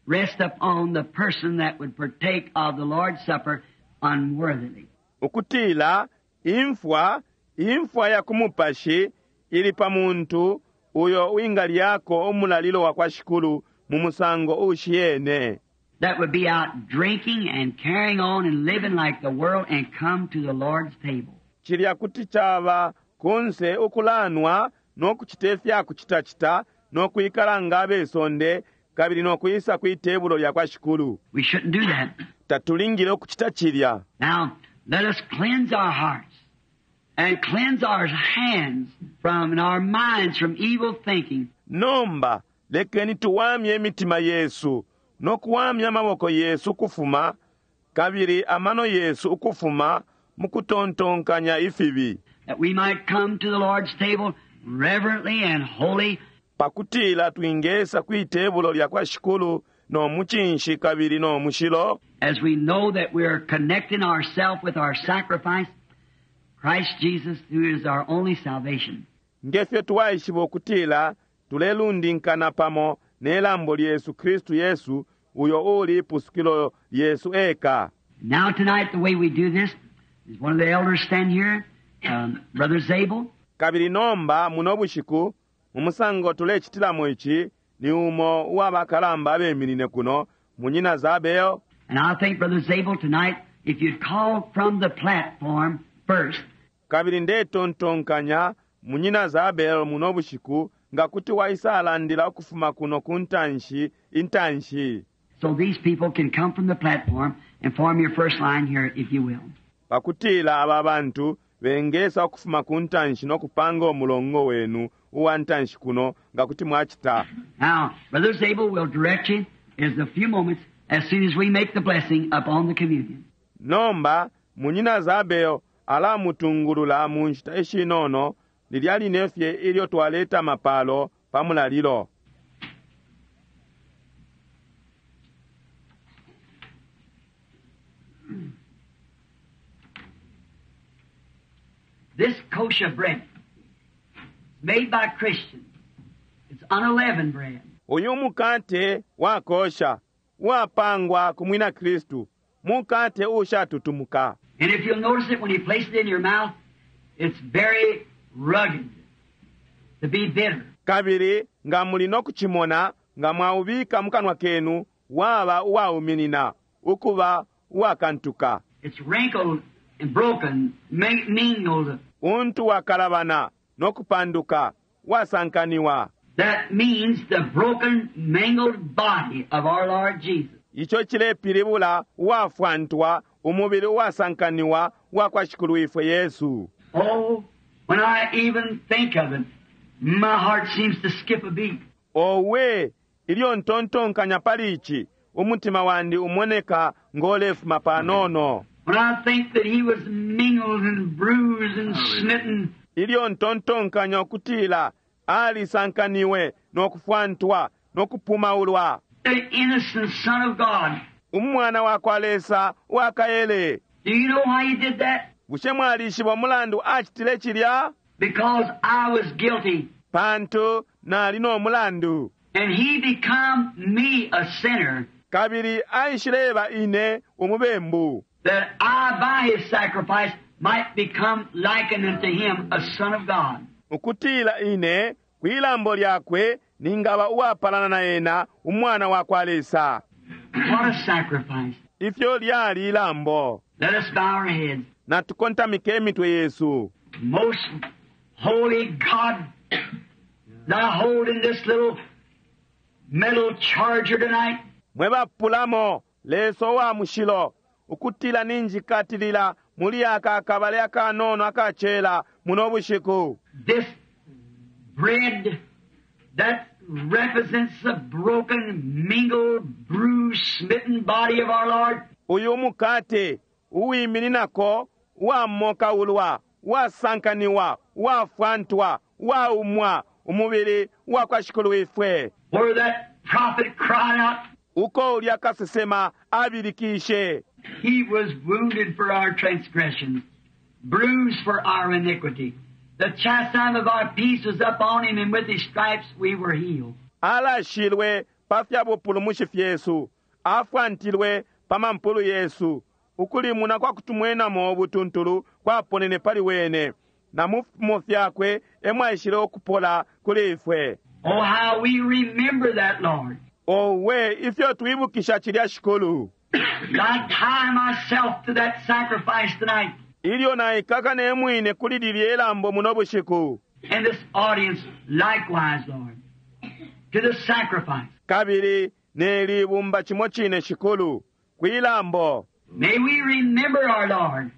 rests upon the person that would partake of the Lord's Supper unworthily. Ukutila imfwa, imfwa ya kumupashi ili pa muntu uyo wingalyako umulalilo wa kwa Shikulu mu musango ushiyene. That would be out drinking and carrying on and living like the world and come to the Lord's table. Cilya kuti caba kunse ukulanwa no kucita ifya kucitacita no kwikala nga abesonde kabili no kwisa kwi tebulo lya kwa Shikulu. We shouldn't do that. Tatulingile ukucita cilya. Now, let us cleanse our hearts and cleanse our hands from and our minds from evil thinking. Nomba lekeni tuwamye imitima yesu no kuwamya amaboko yesu ukufuma kabili amano yesu ukufuma mu kutontonkanya ifibi, that we might come to the Lord's table reverently and holy, pakutila twingesa kwi tebulo lya kwa Shikulu no mucinshi kabili no mushilo. As we know that we are connecting ourselves with our sacrifice, Christ Jesus, who is our only salvation. Ngefyo twaishiba ukutila tulelundinkana pamo ne lambo lyesu Kristu Yesu uyo uli ipusukilo lyesu eka. Now tonight, the way we do this is one of the elders stand here, Brother Zabel. Kabili nomba muno bushiku mu musango tulecitilamo ici ni umo uwa bakalamba abeminine kuno munyina Zabel. And I think, Brother Zabel, tonight, if you'd call from the platform first. Kabili ndetontonkanya munyina Zabel muno bushiku nga kuti waisalandila ukufuma kuno ku ntanshi intanshi. So these people can come from the platform and form your first line here, if you will. Pakutila aba bantu bengesa ukufuma ku ntanshi no kupanga umulongo wenu uwa ntanshi kuno nga kuti mwacita. Now, Brother Zabel will direct you in a few moments as soon as we make the blessing upon the communion. Nomba munyina Zabel alamutungulula mu nshita ishinono lilya line fye ilyo twaleta mapalo pa mulalilo. This kosher bread made by Christians. It's unleavened bread. Uyu mukate wa kosha wapangwa ku mwina Kristu, mukate ushatutumuka. And if you'll notice it when you place it in your mouth, it's very rugged to be bitter. Kabili nga muli no kuchimona nga mwaubika mukanwa kenu waba uwauminina ukuba uwakantuka. It's wrinkled and broken, mingled. Untu wakalabana no kupanduka wasankaniwa. That means the broken, mangled body of our Lord Jesus. Icho chilepilibula uwafwantwa umubili uwasankaniwa wa kwa Shikulu ifwe Yesu. Oh, when I even think of it, my heart seems to skip a beat. Owe, ilyo ntontonkanya pali ichi, umutima wandi umoneka ngolefuma panono. When I think that he was mingled and bruised and smitten. Ilyo ntontonkanya ukutila alisankaniwe no kufwantwa no kupumaulwa. The innocent Son of God. Umwana wa kwa Lesa wakaele. Do you know why he did that? Bushe mwalishiba umulandu acitile cilya? Because I was guilty. Pantu nali no mulandu. And he become me a sinner. Kabili aishileba ine umubembu. That I by his sacrifice might become likened unto him, a son of God. Ukutila ine kwilambo lyakwe ningaba uwapalana na ena umwana wa kwa Lesa. What a sacrifice. Ifyo lyali ilambo. Let us bow our heads. Natukontamike imitwe yesu. Most holy God, thou holding this little metal charger tonight. Mwe bapulamo Lesa wa mushilo ukutila ninjikatilila muli aka akabale akanono akachela muno bushiku. This bread that represents the broken, mingled, bruised, smitten body of our Lord. Uyu mukate uwimininako uwamokaulwa uwasankaniwa uwafwantwa uwaumwa umubili wa kwa Shikulu ifwe. Where that prophet cried out, uko ulya kasesema abilikishe. He was wounded for our transgressions, bruised for our iniquity. The chastisement of our peace was upon him, and with his stripes we were healed. Alashilwe pa fya bupulumushi fyesu, afwantilwe pa mampulu yesu. Ukulimuna kwa kutumwenamo obutuntulu kwaponene pali wene, na mu fimo fyakwe emwaishile okupola kuli ifwe. Oh, how we remember that, Lord. Owe, ifyo twibukisha cilya Shikulu. I tie myself to that sacrifice tonight. Ilyo naikaka ne mwine kuli lilye lambo muno bushiku. And this audience likewise, Lord, to the sacrifice. Kabili ne libumba chimo chine Shikulu kwilambo. May we remember our Lord,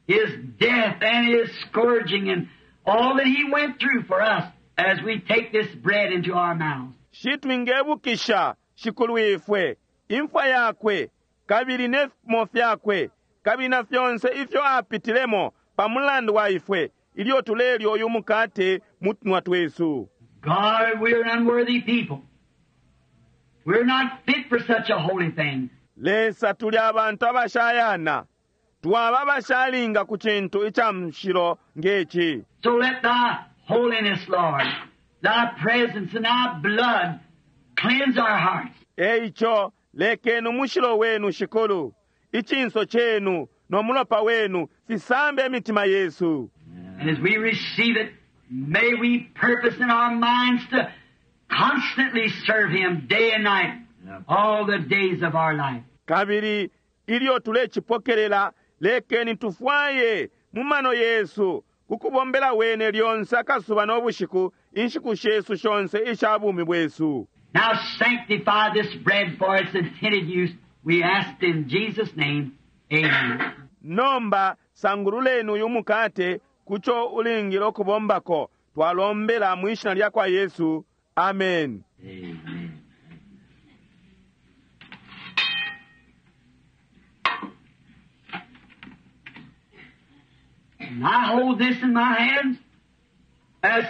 His death and His scourging and all that He went through for us as we take this bread into our mouths. Shitwingebukisha Shikulu ifwe, imfwa yakwe, kabili ne fimo fyakwe, kabili na fyonse ifyo apitilemo pa mulandu wa ifwe, ilyo tulelya uyu mukate mu tunwa twesu. God, we are an unworthy people. We're not fit for such a holy thing. Lesa tuli abantu abashayana twaba abashalinga ku cintu ica mushilo ngeci So let thy holiness, Lord, thy presence and thy blood cleanse our hearts. Eico lekeni umushilo wenu shikulu icinso cenu no mulopa wenu fisambe imitima yesu And as we receive it, may we purpose in our minds to constantly serve Him day and night, all the days of our life. Kabili ilyo tulecipokelela lekeni tufwaye mu mano yesu kukubombela wene lyonse akasuba no bushiku inshiku shesu shonse isha bumi bwesu. Now sanctify this bread for its intended use. We ask in Jesus' name. Amen. Nomba sangululeni uyu mukate kuco ulingile ukubombako twalombela mu ishina lya kwa Yesu. Amen. Amen. And I hold this in my hands as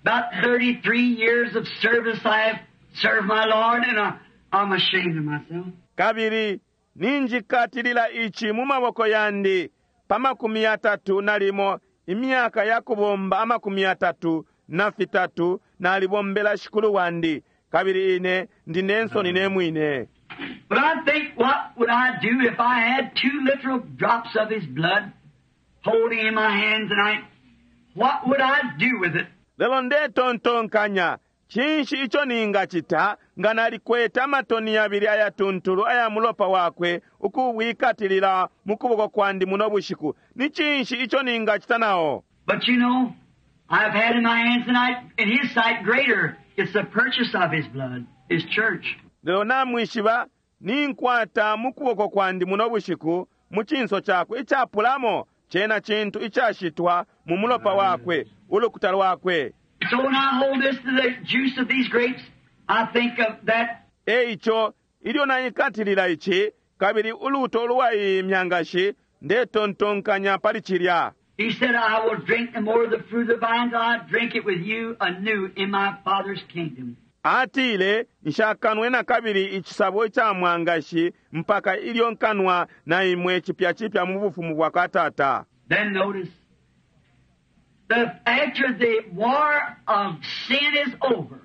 about 33 years of service I have served my Lord, and I'm ashamed of myself. Kabili ninjikatilila ici mu maboko yandi pa 31 imyaka ya kubomba 33 nalibombela shikulu wandi kabili ine ndi nensoni ne mwine. But I think, what would I do if I had 2 literal drops of His blood holding in my hand tonight? What would I do with it? Lelo ndetontonkanya cinshi ico ningacita nga nalikwete amatoni yabili ayatuntulu aya mulopa wakwe ukuwikatilila mu kuboko kwandi muno bushiku. Ni cinshi ico ningacita nao? But you know, I've had in my hands tonight, in His sight, greater. It's the purchase of His blood, His church. Lelo namwishiba ninkwata mu kuboko kwandi muno bushiku mu cinso cakwe icapulamo cena cintu icashitwa mu mulopa wakwe ulukuta lwakwe. So when I hold this to the juice of these grapes, I think of that. Eico ilyo naikatilila ici kabili uluto lwa iyi myangashi ndetontonkanya pali cilya. He said, I will drink no more of the fruit of the vine till I drink it with you anew in my Father's kingdom. Atile nshakanwe na kabili icisabo ica mwangashi mpaka ilyo nkanwa na imwe cipya cipya mu bufumu bwa kwa Tata. Then notice, after the war of sin is over,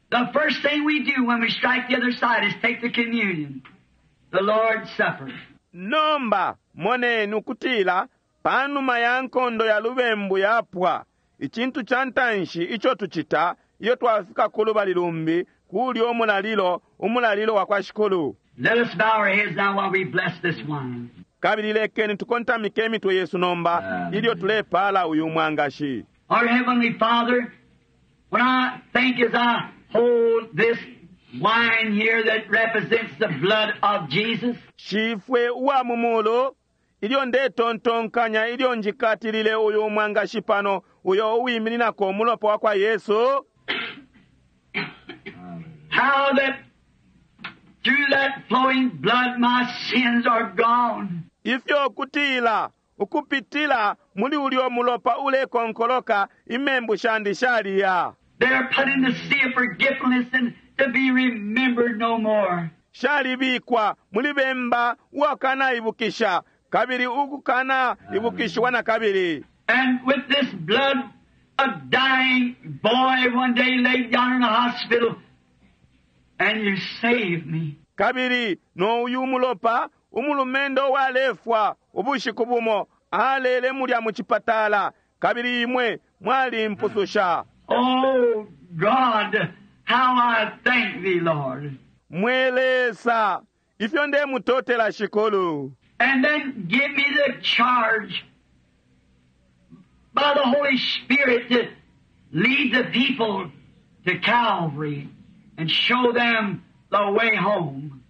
the first thing we do when we strike the other side is take the communion, the Lord's Supper. Nomba moneni ukutila panuma ya nkondo ya lubembu yapwa icintu ca ntanshi ico tucita iyo twafika ku lubali lumbi kulya umulalilo, umulalilo wa kwa Shikulu. Let us bow our heads now while we bless this wine. Kabili lekeni tukontamike imitwe yesu nomba ilyo tulepala uyu mwangashi. Our Heavenly Father, when I think as I hold this wine here that represents the blood of Jesus, Shifwe uwa mu mulu ilyo ndetontonkanya ilyo njikatilile uyu mwangashi pano uyo uwimininako umulopa wa kwa Yesu, how that through that flowing blood my sins are gone. Ifyo kutila ukupitila muli ulyo mulopa ulekonkoloka imembu shandi shaliya. They are put in the sea of forgetfulness and to be remembered no more. Shalibikwa muli bemba wakanaibukisha kabili ukukana ibukishwa na kabili. And with this blood, a dying boy one day laid down in a hospital, and you saved me. Kabili no uyu mulopa umulumendo walefwa ubushiku bumo alele mulya mu chipatala kabili imwe mwalimpususha. Oh God, how I thank thee, Lord. Mwelesa ifyo ndemutotela shikulu. And then give me the charge by the Holy Spirit to lead the people to Calvary and show them the way home.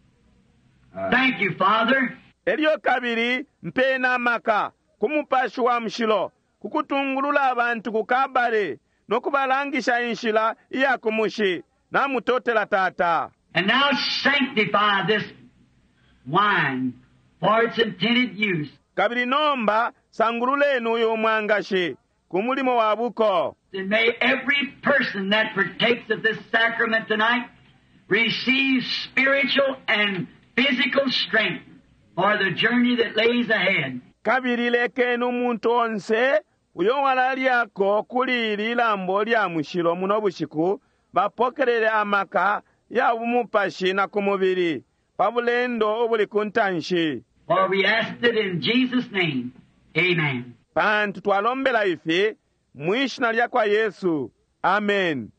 Thank you, Father. Elyo kabili mpena maka ku mupashi wa mushilo kukutungulula abantu ku Kabale no kubalangisha inshila iya kumushi. Namutotela Tata. And now sanctify this wine for its intended use. Kabili nomba sangululeni uyu mwangashi. ku mulimo wa buko. And may every person that partakes of this sacrament tonight receive spiritual and physical strength for the journey that lays ahead. Kabili lekeni umuntu onse uyo walalyako kuli ili lambo lya mushilo muno bushiku bapokelele amaka ya bumupashi na ku mubili pa bulendo ubuli ku ntanshi. For we asked it in Jesus' name. Amen. Pantu twalombela ifi mwi shina lya kwa Yesu. Amen.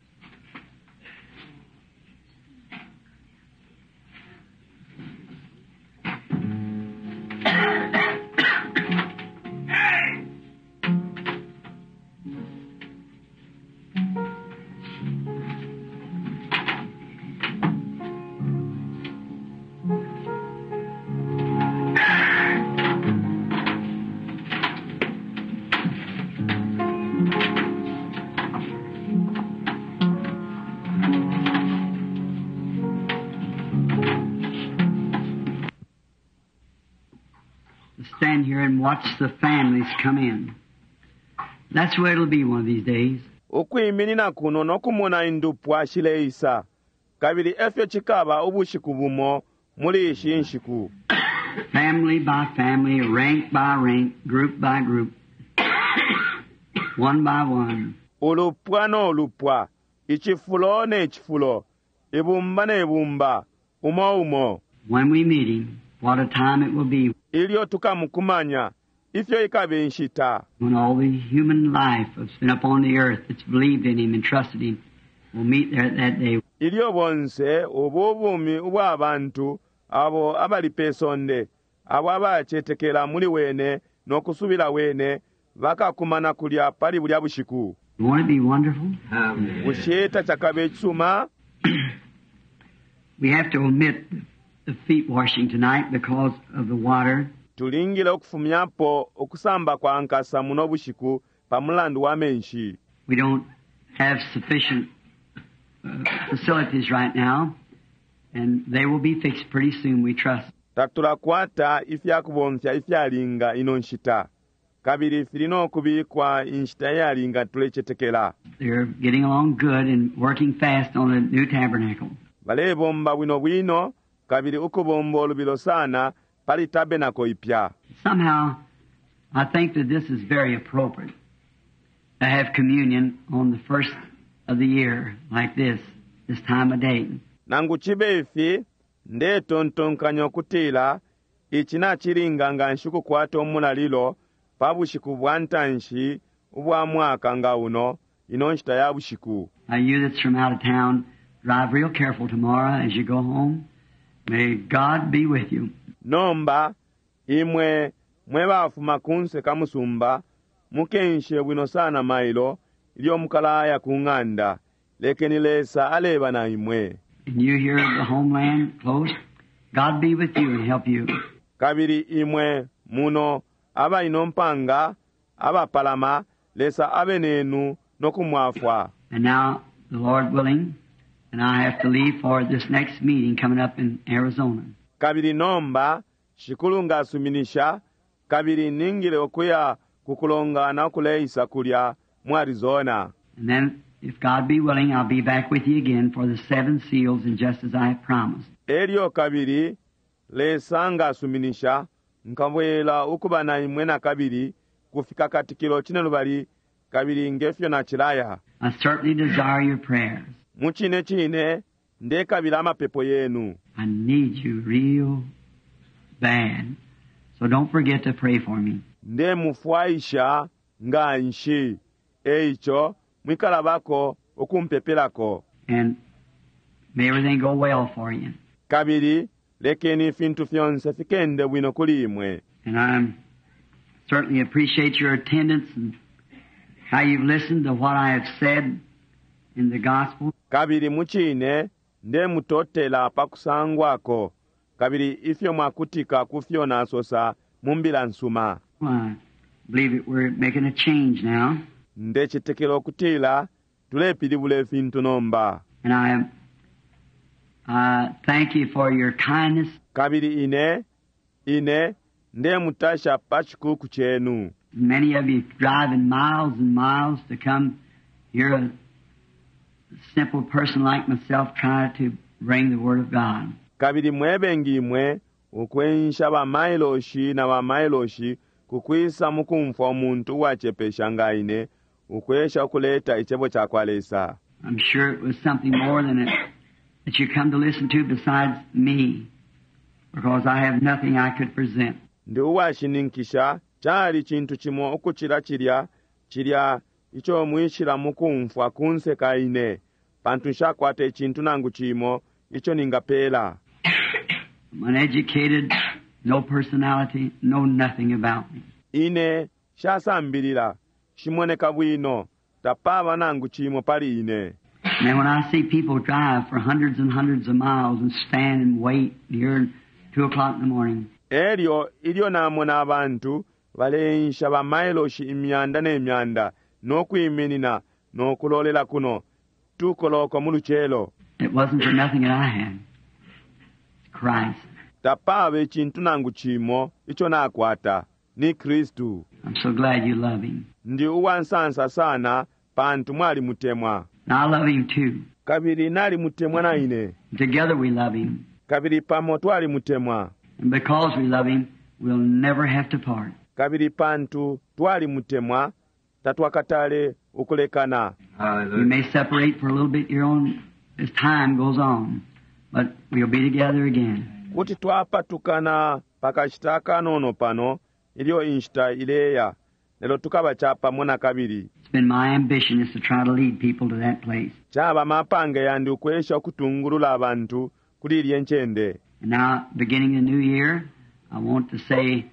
Stand here and watch the families come in. That's where it'll be one of these days. Ukwiminina kuno no kumona indupwa shileisa, kabili efyo cikaba ubushiku bumo muli ishi nshiku. Family by family, rank by rank, group by group, one by one. Ulupwa no lupwa, icifulo ne cifulo, ibumba ne bumba, umo umo. When we meet him, what a time it will be. Ilyo tukamukumanya, ifyo ikabe nshita. When all the human life that's been upon the earth that's believed in him and trusted him will meet there at that day. Ilyo bonse ubu bumi ubwa bantu abo abali pe sonde, abo abacetekela muli wene no kusubila wene, bakakumana kulya pali bulya bushiku. Won't it be wonderful? Bushe tacakabe icisuma? We have to omit the feet washing tonight because of the water. Tulingile ukufumyapo ukusamba kwa nkasa muno bushiku pa mulandu wa menshi. We don't have sufficient facilities right now, and they will be fixed pretty soon, we trust. Tatulakwata ifyakubomfya ifyalinga ino nshita, kabili fili no kubikwa inshita iyalinga tulecetekela. They're getting along good and working fast on the new tabernacle. Balebomba bwino bwino kabili ukubomba ulubilo sana pali tabernacle ipya. Somehow, I think that this is very appropriate to have communion on the first of the year like this, this time of day. Nangu cibe ifi, ndetontonkanya ukutila ici nacilinga nga nshi ukukwata umulalilo pa bushiku bwa ntanshi ubwa mwaka nga uno, ino nshita ya bushiku. Now you that's from out of town, drive real careful tomorrow as you go home. May God be with you. Nomba, imwe mwe bafuma kunse ka musumba, mukenshe bwino sana mailo, ilyo mukalaya ku ng'anda. Lekeni Lesa aleba na imwe. And you here at the homeland close, God be with you and help you. Kabili imwe muno abaino mpanga abapalama, Lesa abe nenu no kumwafwa. And now, the Lord willing, and I have to leave for this next meeting coming up in Arizona. Kabili nomba Shikulu ngasuminisha, kabili ningile okuya kukulongana okuleisa kulya mu Arizona. And then, if God be willing, I'll be back with you again for the 7 seals, and just as I have promised. Elyo kabili Lesa ngasuminisha, nkabwela ukuba na imwe na kabili kufika katikilo cine lubali, kabili ngefyo na cilaya. I certainly desire your prayers. Mu cine cine ndekabila amapepo yenu. I need you real bad. So don't forget to pray for me. Ndemufwaisha nga nshi. Eico mwikalabako ukumpepelako. And may everything go well for you. Kabili lekeni ifintu fyonse fikende bwino kuli imwe. And I certainly appreciate your attendance and how you've listened to what I have said in the gospel. Kabili mucine ndemutotela pa kusangwako, kabili ifyo mwakutika ku fyo nasosa mu mbila nsuma. I believe that we're making a change now. Ndecetekela ukutila tulepilibula ifintu nomba. And I thank you for your kindness. Kabili ine ndemutasha pa chikuku chenu. Many of you driving miles and miles to come hear a simple person like myself try to bring the Word of God. Kabili mwebengi imwe ukwensha ba mailoshi na ba mailoshi kukwisa mukumfwa umuntu uwacepesha nga ine ukwesha ukuleta icebo cakwa Lesa. I'm sure it was something more than it that you come to listen to besides me, because I have nothing I could present. Ndi uwashininkisha cali cintu cimo ukucila cilya, cilya ico mwishila mukumfwa kunse ka ine, pantu nshakwata icintu nangu cimo ico ningapela. I'm uneducated, no personality, know nothing about me. Ine shasambilila, shimoneka bwino, tapaba nangu cimo pali ine. And then when I see people drive for hundreds and hundreds of miles and stand and wait here at 2 o'clock in the morning. Elyo ilyo namona abantu baleensha ba mailoshi imyanda ne myanda no kwiminina no kulolela kuno 2 koloko mu lucelo. It wasn't for nothing that I had. It's Christ. Tapaba icintu nangu cimo ico nakwata ni Kristu. I'm so glad you love him. Ndi uwansansa sana pantu mwalimutemwa. And I love him too. Kabili nalimutemwa na ine. Together we love him. Kabili pamo twalimutemwa. And because we love him, we'll never have to part. Kabili pantu twalimutemwa, tatwakatale ukulekana. We may separate for a little bit here on as time goes on, but we'll be together again. Kuti twapatukana pakashita kanono pano ilyo inshita ileya, lelo tukaba capamo na kabili. It's been my ambition is to try to lead people to that place. Caba mapange yandi ukwesha ukutungulula abantu kuli ilye ncende. And now, beginning the new year, I want to say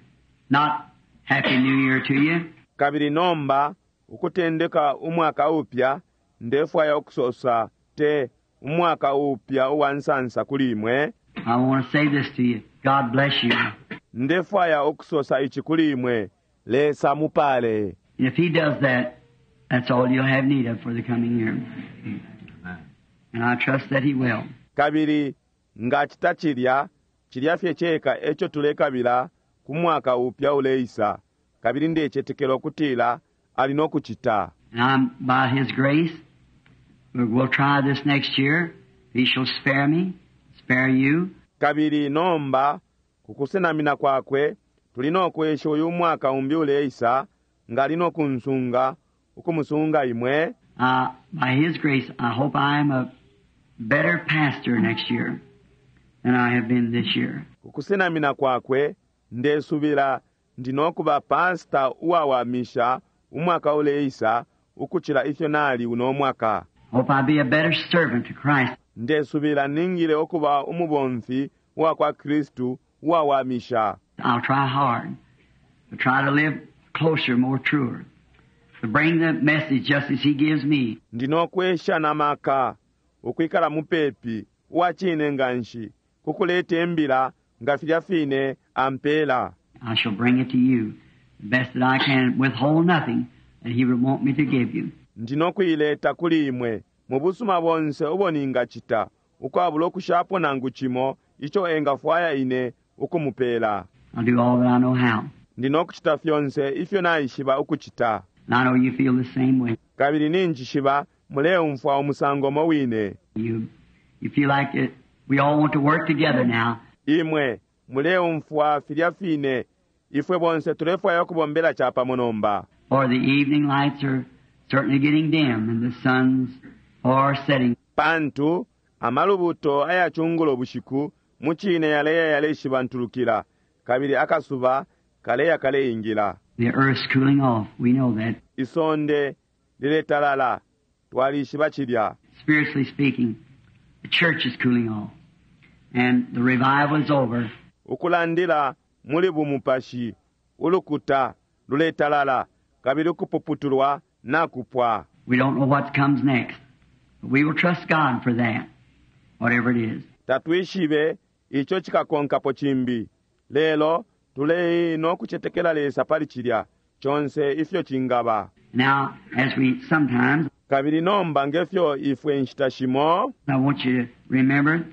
not Happy New Year to you. Kabili nomba, ukutendeka umwaka upya, ndefwaya ukusosa te umwaka upya uwa nsansa kuli imwe. I want to say this to you. God bless you. Ndefwaya ukusosa ici kuli imwe. Lesa mupale. And if he does that, that's all you'll have need of for the coming year. And I trust that he will. Kabili nga cita cilya, cilya fye ceka eco tulekabila ku mwaka upya uleisa. Kabili ndecetekela ukutila ali no kucita. And I'm, by his grace, we'll try this next year. He shall spare me, spare you. Kabili nomba, kukusenamina kwakwe, tuli no kwesha uyu mwaka umbi uleisa, nga ali no kunsunga, ukumusunga imwe. By his grace, I hope I am a better pastor next year than I have been this year. Kukusenamina kwakwe, ndesubila ndi no kuba pastor uwawamisha umwaka uleisa ukucila ifyo nali uno mwaka. Hope I be a better servant to Christ. Ndesubila ningile ukuba umubomfi wa kwa Kristu uwawamisha. I'll try hard to try to live closer, more truer, to bring the message just as he gives me. Ndinokwesha na maka ukwikala mupepi uwacine nganshi kukuleta imbila nga filya fine ampela. I shall bring it to you the best that I can, withhold nothing that he would want me to give you. Ndinokuileta kuli imwe mu busuma bonse ubo ningacita, ukwabula ukushapo nangu cimo ico engafwaya ine ukumupela. I'll do all that I know how. Ndinokucita fyonse ifyo naishiba ukucita. And I know you feel the same way. Kabili ninjishiba muleumfwa umusango mo wine. You feel like it, we all want to work together now. Imwe muleumfwa filya fine, ifwe bonse tulefwaya ukubombela capamo nomba. For the evening lights are certainly getting dim and the sun's far setting. Pantu amalubuto ayacungulo bushiku mucine yaleya yaleshibantulukila, kabili akasuba kaleya kaleingila. The earth's cooling off, we know that. Isonde liletalala, twalishiba cilya. Spiritually speaking, the church is cooling off and the revival is over. Ukulandila muli bumupashi, ulukuta luletalala, kabili ukupuputulwa nakupwa. We don't know what comes next, but we will trust God for that, whatever it is. Tatwishibe ico cikakonkapo cimbi, lelo tulei no kucetekela Lesa pali cilya conse ifyo cingaba. Now, as we sometimes, Kabili nomba ngefyo ifwe nshita shimo, I want you to remember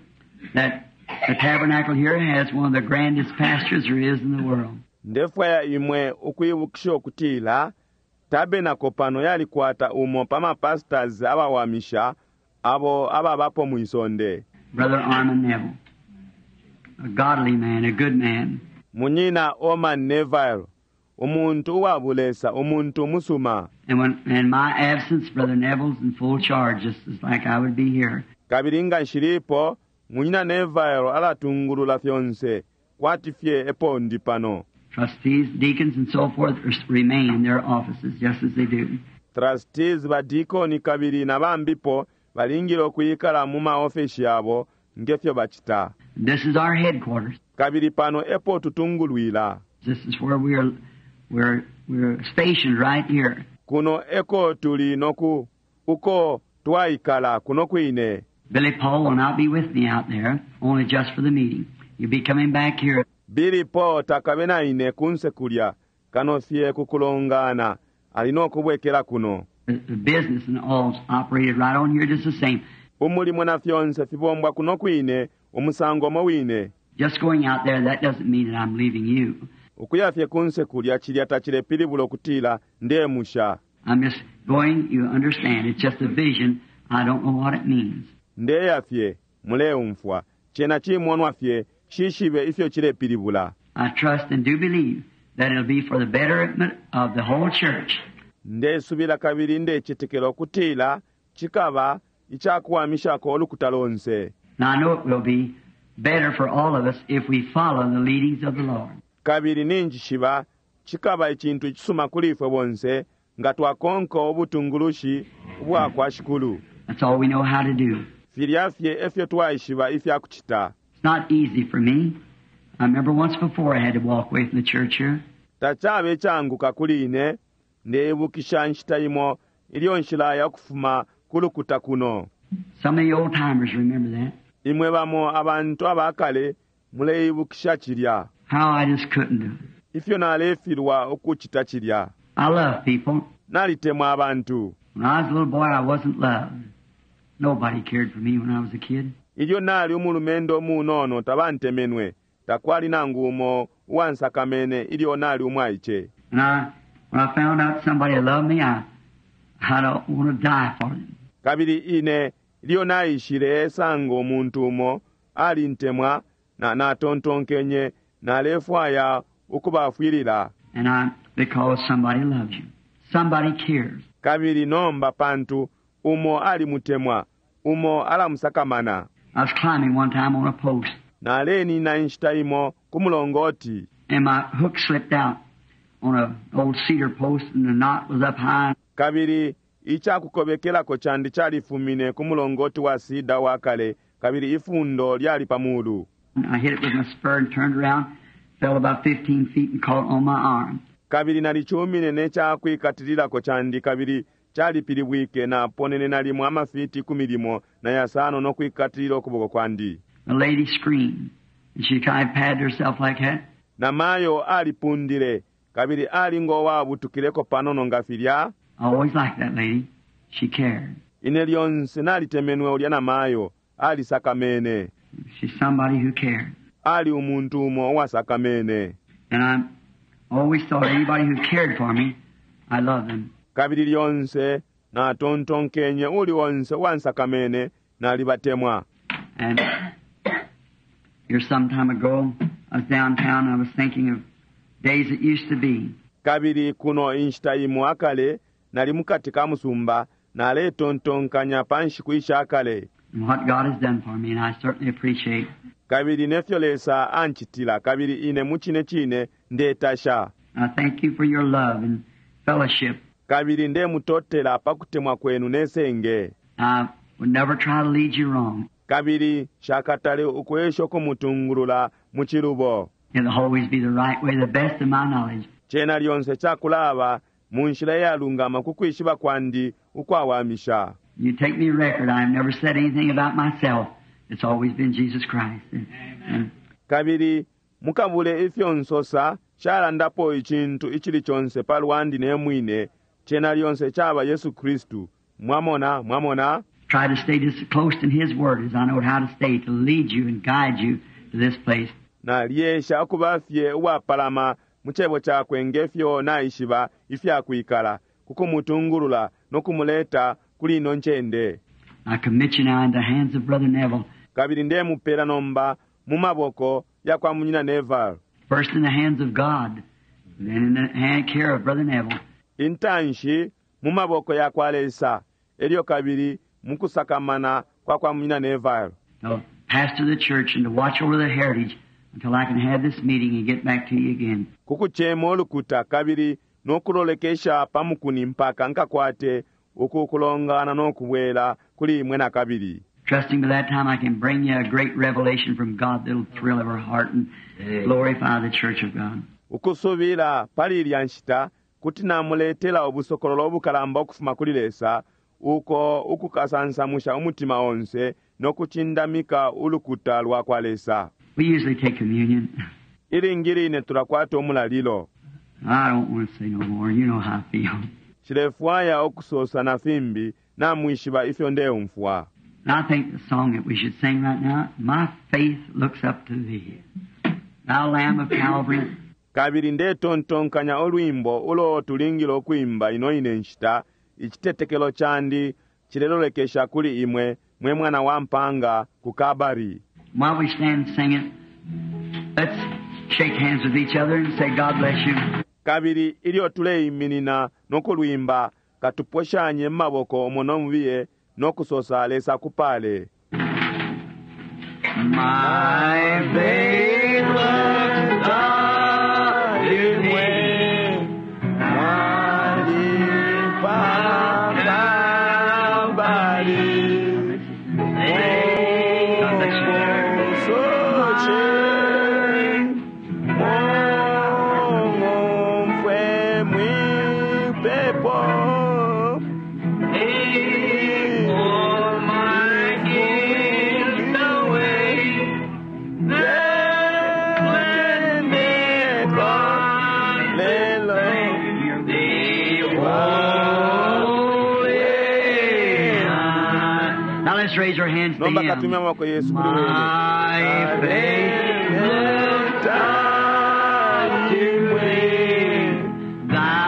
that the tabernacle here has one of the grandest pastors there is in the world. Ndefwaya imwe ukwibukisha ukutila tabenako pano yalikwata umo pa mapastors abawamisha abo ababapo mwisonde. Brother Orman Neville, a godly man, a good man. Munyina Orman Neville, umuntu uwabulesa, umuntu umusuma. And when in my absence, Brother Neville's in full charge, just as like I would be here. Kabili nga nshilipo, Munyina Neville alatungulula fyonse, kwati fye epo ndi pano. Trustees, deacons, and so forth remain in their offices just as they do. Trustees, badikoni kabili na bambipo balingile ukwikala mu maofeshi yabo ngefyo bacita. This is our headquarters. Kabili pano epo tutungulwila. This is where we're stationed right here. Kuno eko tuli noku uko twaikala kuno kwine. Billy Paul will not be with me out there, only just for the meeting. You'll be coming back here. Billy Paul takabe na ine kunse kulya, kano fye kukulongana, ali nokubwekela kuno. The business and all's operated right on here just the same. Umulimo na fyonse fibombwa kuno kwine, umusango mo wine. Just going out there, that doesn't mean that I'm leaving you. Ukuya fye kunse kulya chilya tachilepilibula okutila ndemusha. I'm just going, you understand, it's just a vision. I don't know what it means. Ndeya fye, muleumfwa, chena chimonwa fye, shishibe ifyo chilepilibula. I trust and do believe that it'll be for the betterment of the whole church. Ndesubila kabili ndechetekela okutila chikaba ichakuwamishako olukuta lonse. Now I know it will be better for all of us if we follow the leadings of the Lord. Kabili ninjishiba chikaba ichintu ichisuma kuli ifwe bonse nga twakonka obutungulushi ubwa kwa Shikulu. That's all we know how to do. Filya fye efyo twaishiba ifya kuchita. It's not easy for me. I remember once before I had to walk away from the church here. Tachabe changuka kuli ine, ndeibukisha nshita imo ilyo nshilaya kufuma kulukuta kuno. Some of the old timers remember that. Imwe bamo abantu abakale muleibukisha chilya. How I just couldn't do it. Ifyo nalefilwa ukuchita chilya. I love people. Nalitemwa abantu. When I was a little boy, I wasn't loved. Nobody cared for me when I was a kid. Ilyo nali umulumendo munono tabantemenwe, takwali nangu umo uwansakamene ilyo nali umwaiche. And when I found out somebody loved me, I don't want to die for them. Kabili ine ilyo naishile sango umuntu umo alintemwa na natontonkenye nalefwaya ukubafwilila. And I, because somebody loves you. Somebody cares. Kabili nomba pantu umo alimutemwa, umo alamusakamana. I was climbing one time on a post. Nalenina inshita imo ku mulongoti. And my hook slipped out on an old cedar post and the knot was up high. Kabili ichakukobekelako chandi chalifumine ku mulongoti wa sida wa kale, kabili ifundo lyali pamulu. I hit it with my spur and turned around, fell about 15 feet and caught on my arm. Kabili nalichumine nechakwikatililako chandi kabili chalipilibwike na ponene nalimo amafiti 15 na yasano nokwikatilila okuboko kwandi. The lady screamed and she kind of padded herself like that. Namayo alipundile kabili alingo wabutukileko panono nga filya. I always liked that lady. She cared. Ine lyonse nalitemenwe ulya namayo alisakamene. She's somebody who cared. Ali umuntu umo uwasakamene. And I always thought anybody who cared for me, I loved them. Kabili lyonse natontonkenye uli onse uwansakamene nalibatemwa. And here some time ago, I was downtown and I was thinking of days that used to be. Kabili kuno inshita imo akale nali mukati ka musumba naletontonkanya panshiku ishakale. And what God has done for me, and I certainly appreciate. Kabili nefyo Lesa anchitila, kabili ine muchine chine ndetasha. I thank you for your love and fellowship. Kabili ndemutotela pakutemwa kwenu nesenge. I would never try to lead you wrong. Kabili shakatale ukwesha okumutungulula mu chilubo. It'll always be the right way, the best of my knowledge. Chena lyonse chakulaba mu nshila eyalungama ku kwishiba kwandi ukwawamisha. You take me record, I've never said anything about myself. It's always been Jesus Christ. And Kabili mukabule ifyo nsosa shalandapo ichintu ichili chonse palwandi nemwine chena lyonse chaba Yesu Kristu. Mwamona, mwamona. Try to stay just close in His Word as I know how to stay, to lead you and guide you to this place. Naliesha okubafye uwapalama mu Cebo Cakwe ngefyo naishiba ifyakwikala, ku kumutungulula no kumuleta kuli ino ncende. I commit you now in the hands of Brother Neville. Kabili ndemupela nomba mu maboko yakwa Munyina Neville. First in the hands of God, then in the hand care of Brother Neville. Intanshi mu maboko yakwa Lesa, elyo kabili mukusakamana kwa kwa Munyina Neville. To pastor the church and to watch over the heritage until I can have this meeting and get back to you again. Kukucema ulukuta kabili no kulolekesha pa mukuni mpaka nkakwate uku kulongana no kubwela kuli imwe nakabili. Trusting by that time I can bring you a great revelation from God that'll thrill every heart and glorify the church of God. Ukusubila pali ilya nshita kuti namuletela ubusokololo ubukalamba ukufuma kuli Lesa uko ukukasansamusha umutima onse no kucindamika ulukuta lwa kwa Lesa. We usually take communion. Ilingi line tulakwata umulalilo. I don't want to say no more. You know how I feel. Nshilefwaya ukusosa na fimbi, namwishiba ifyo ndeumfwa. And I think the song that we should sing right now, My Faith Looks Up to Thee, Thou Lamb of Calvary. Kabili ndetontonkanya ulwimbo ulo tulingile ukwimba ino ine nshita, Icitetekelo candi cilelolekesha kuli imwe, mwe mwana wa mpanga ku Kalbari. While we stand singing, let's shake hands with each other and say, God bless you. Kabili ilyo tuleiminina no kulwimba, katuposhanye mu maboko umo no mubiye no kusosa, Lesa akupale. My faith looks up to thee, Now let's raise our hands to Nomba him. katumya amaboko yesu kuli wene. My faith looks up to thee, thou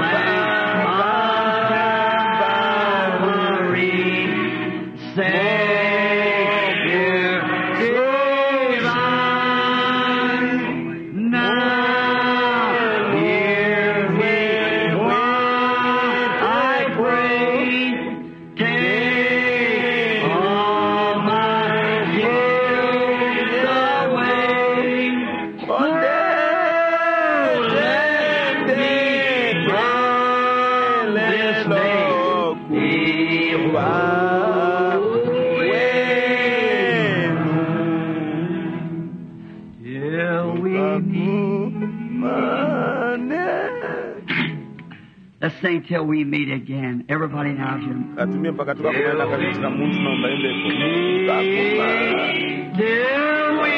Lamb of Calvary, Savior divine. Now hear me when I pray. Take all my guilt away. Let me from this day be Till we meet. Let's sing till we meet again. Everybody now, if you Katumye mpaka tukakumana kabili cila muntu nomba imbepo. Till we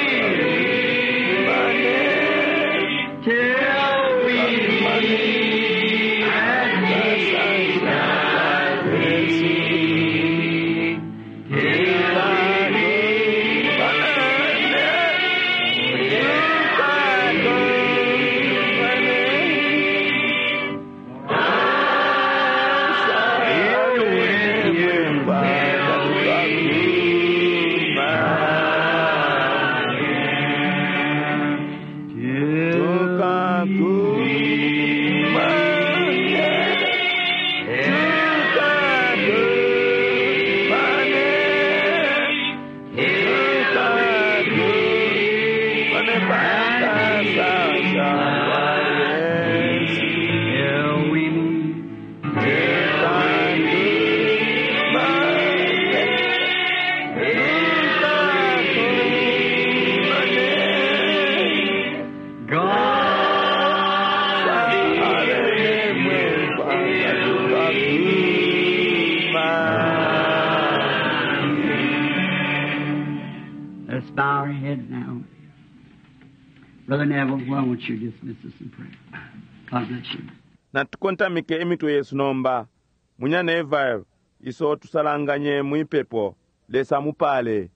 till we meet at Jesus' feet. Till we meet. Till we meet. God Let's bow our heads now. Brother Neville, why won't you dismiss us in prayer? God bless you. Natukontamike imitwe yesu nomba. Munyina Neville, iso tusalanganye mwipepo. Lesa mupale.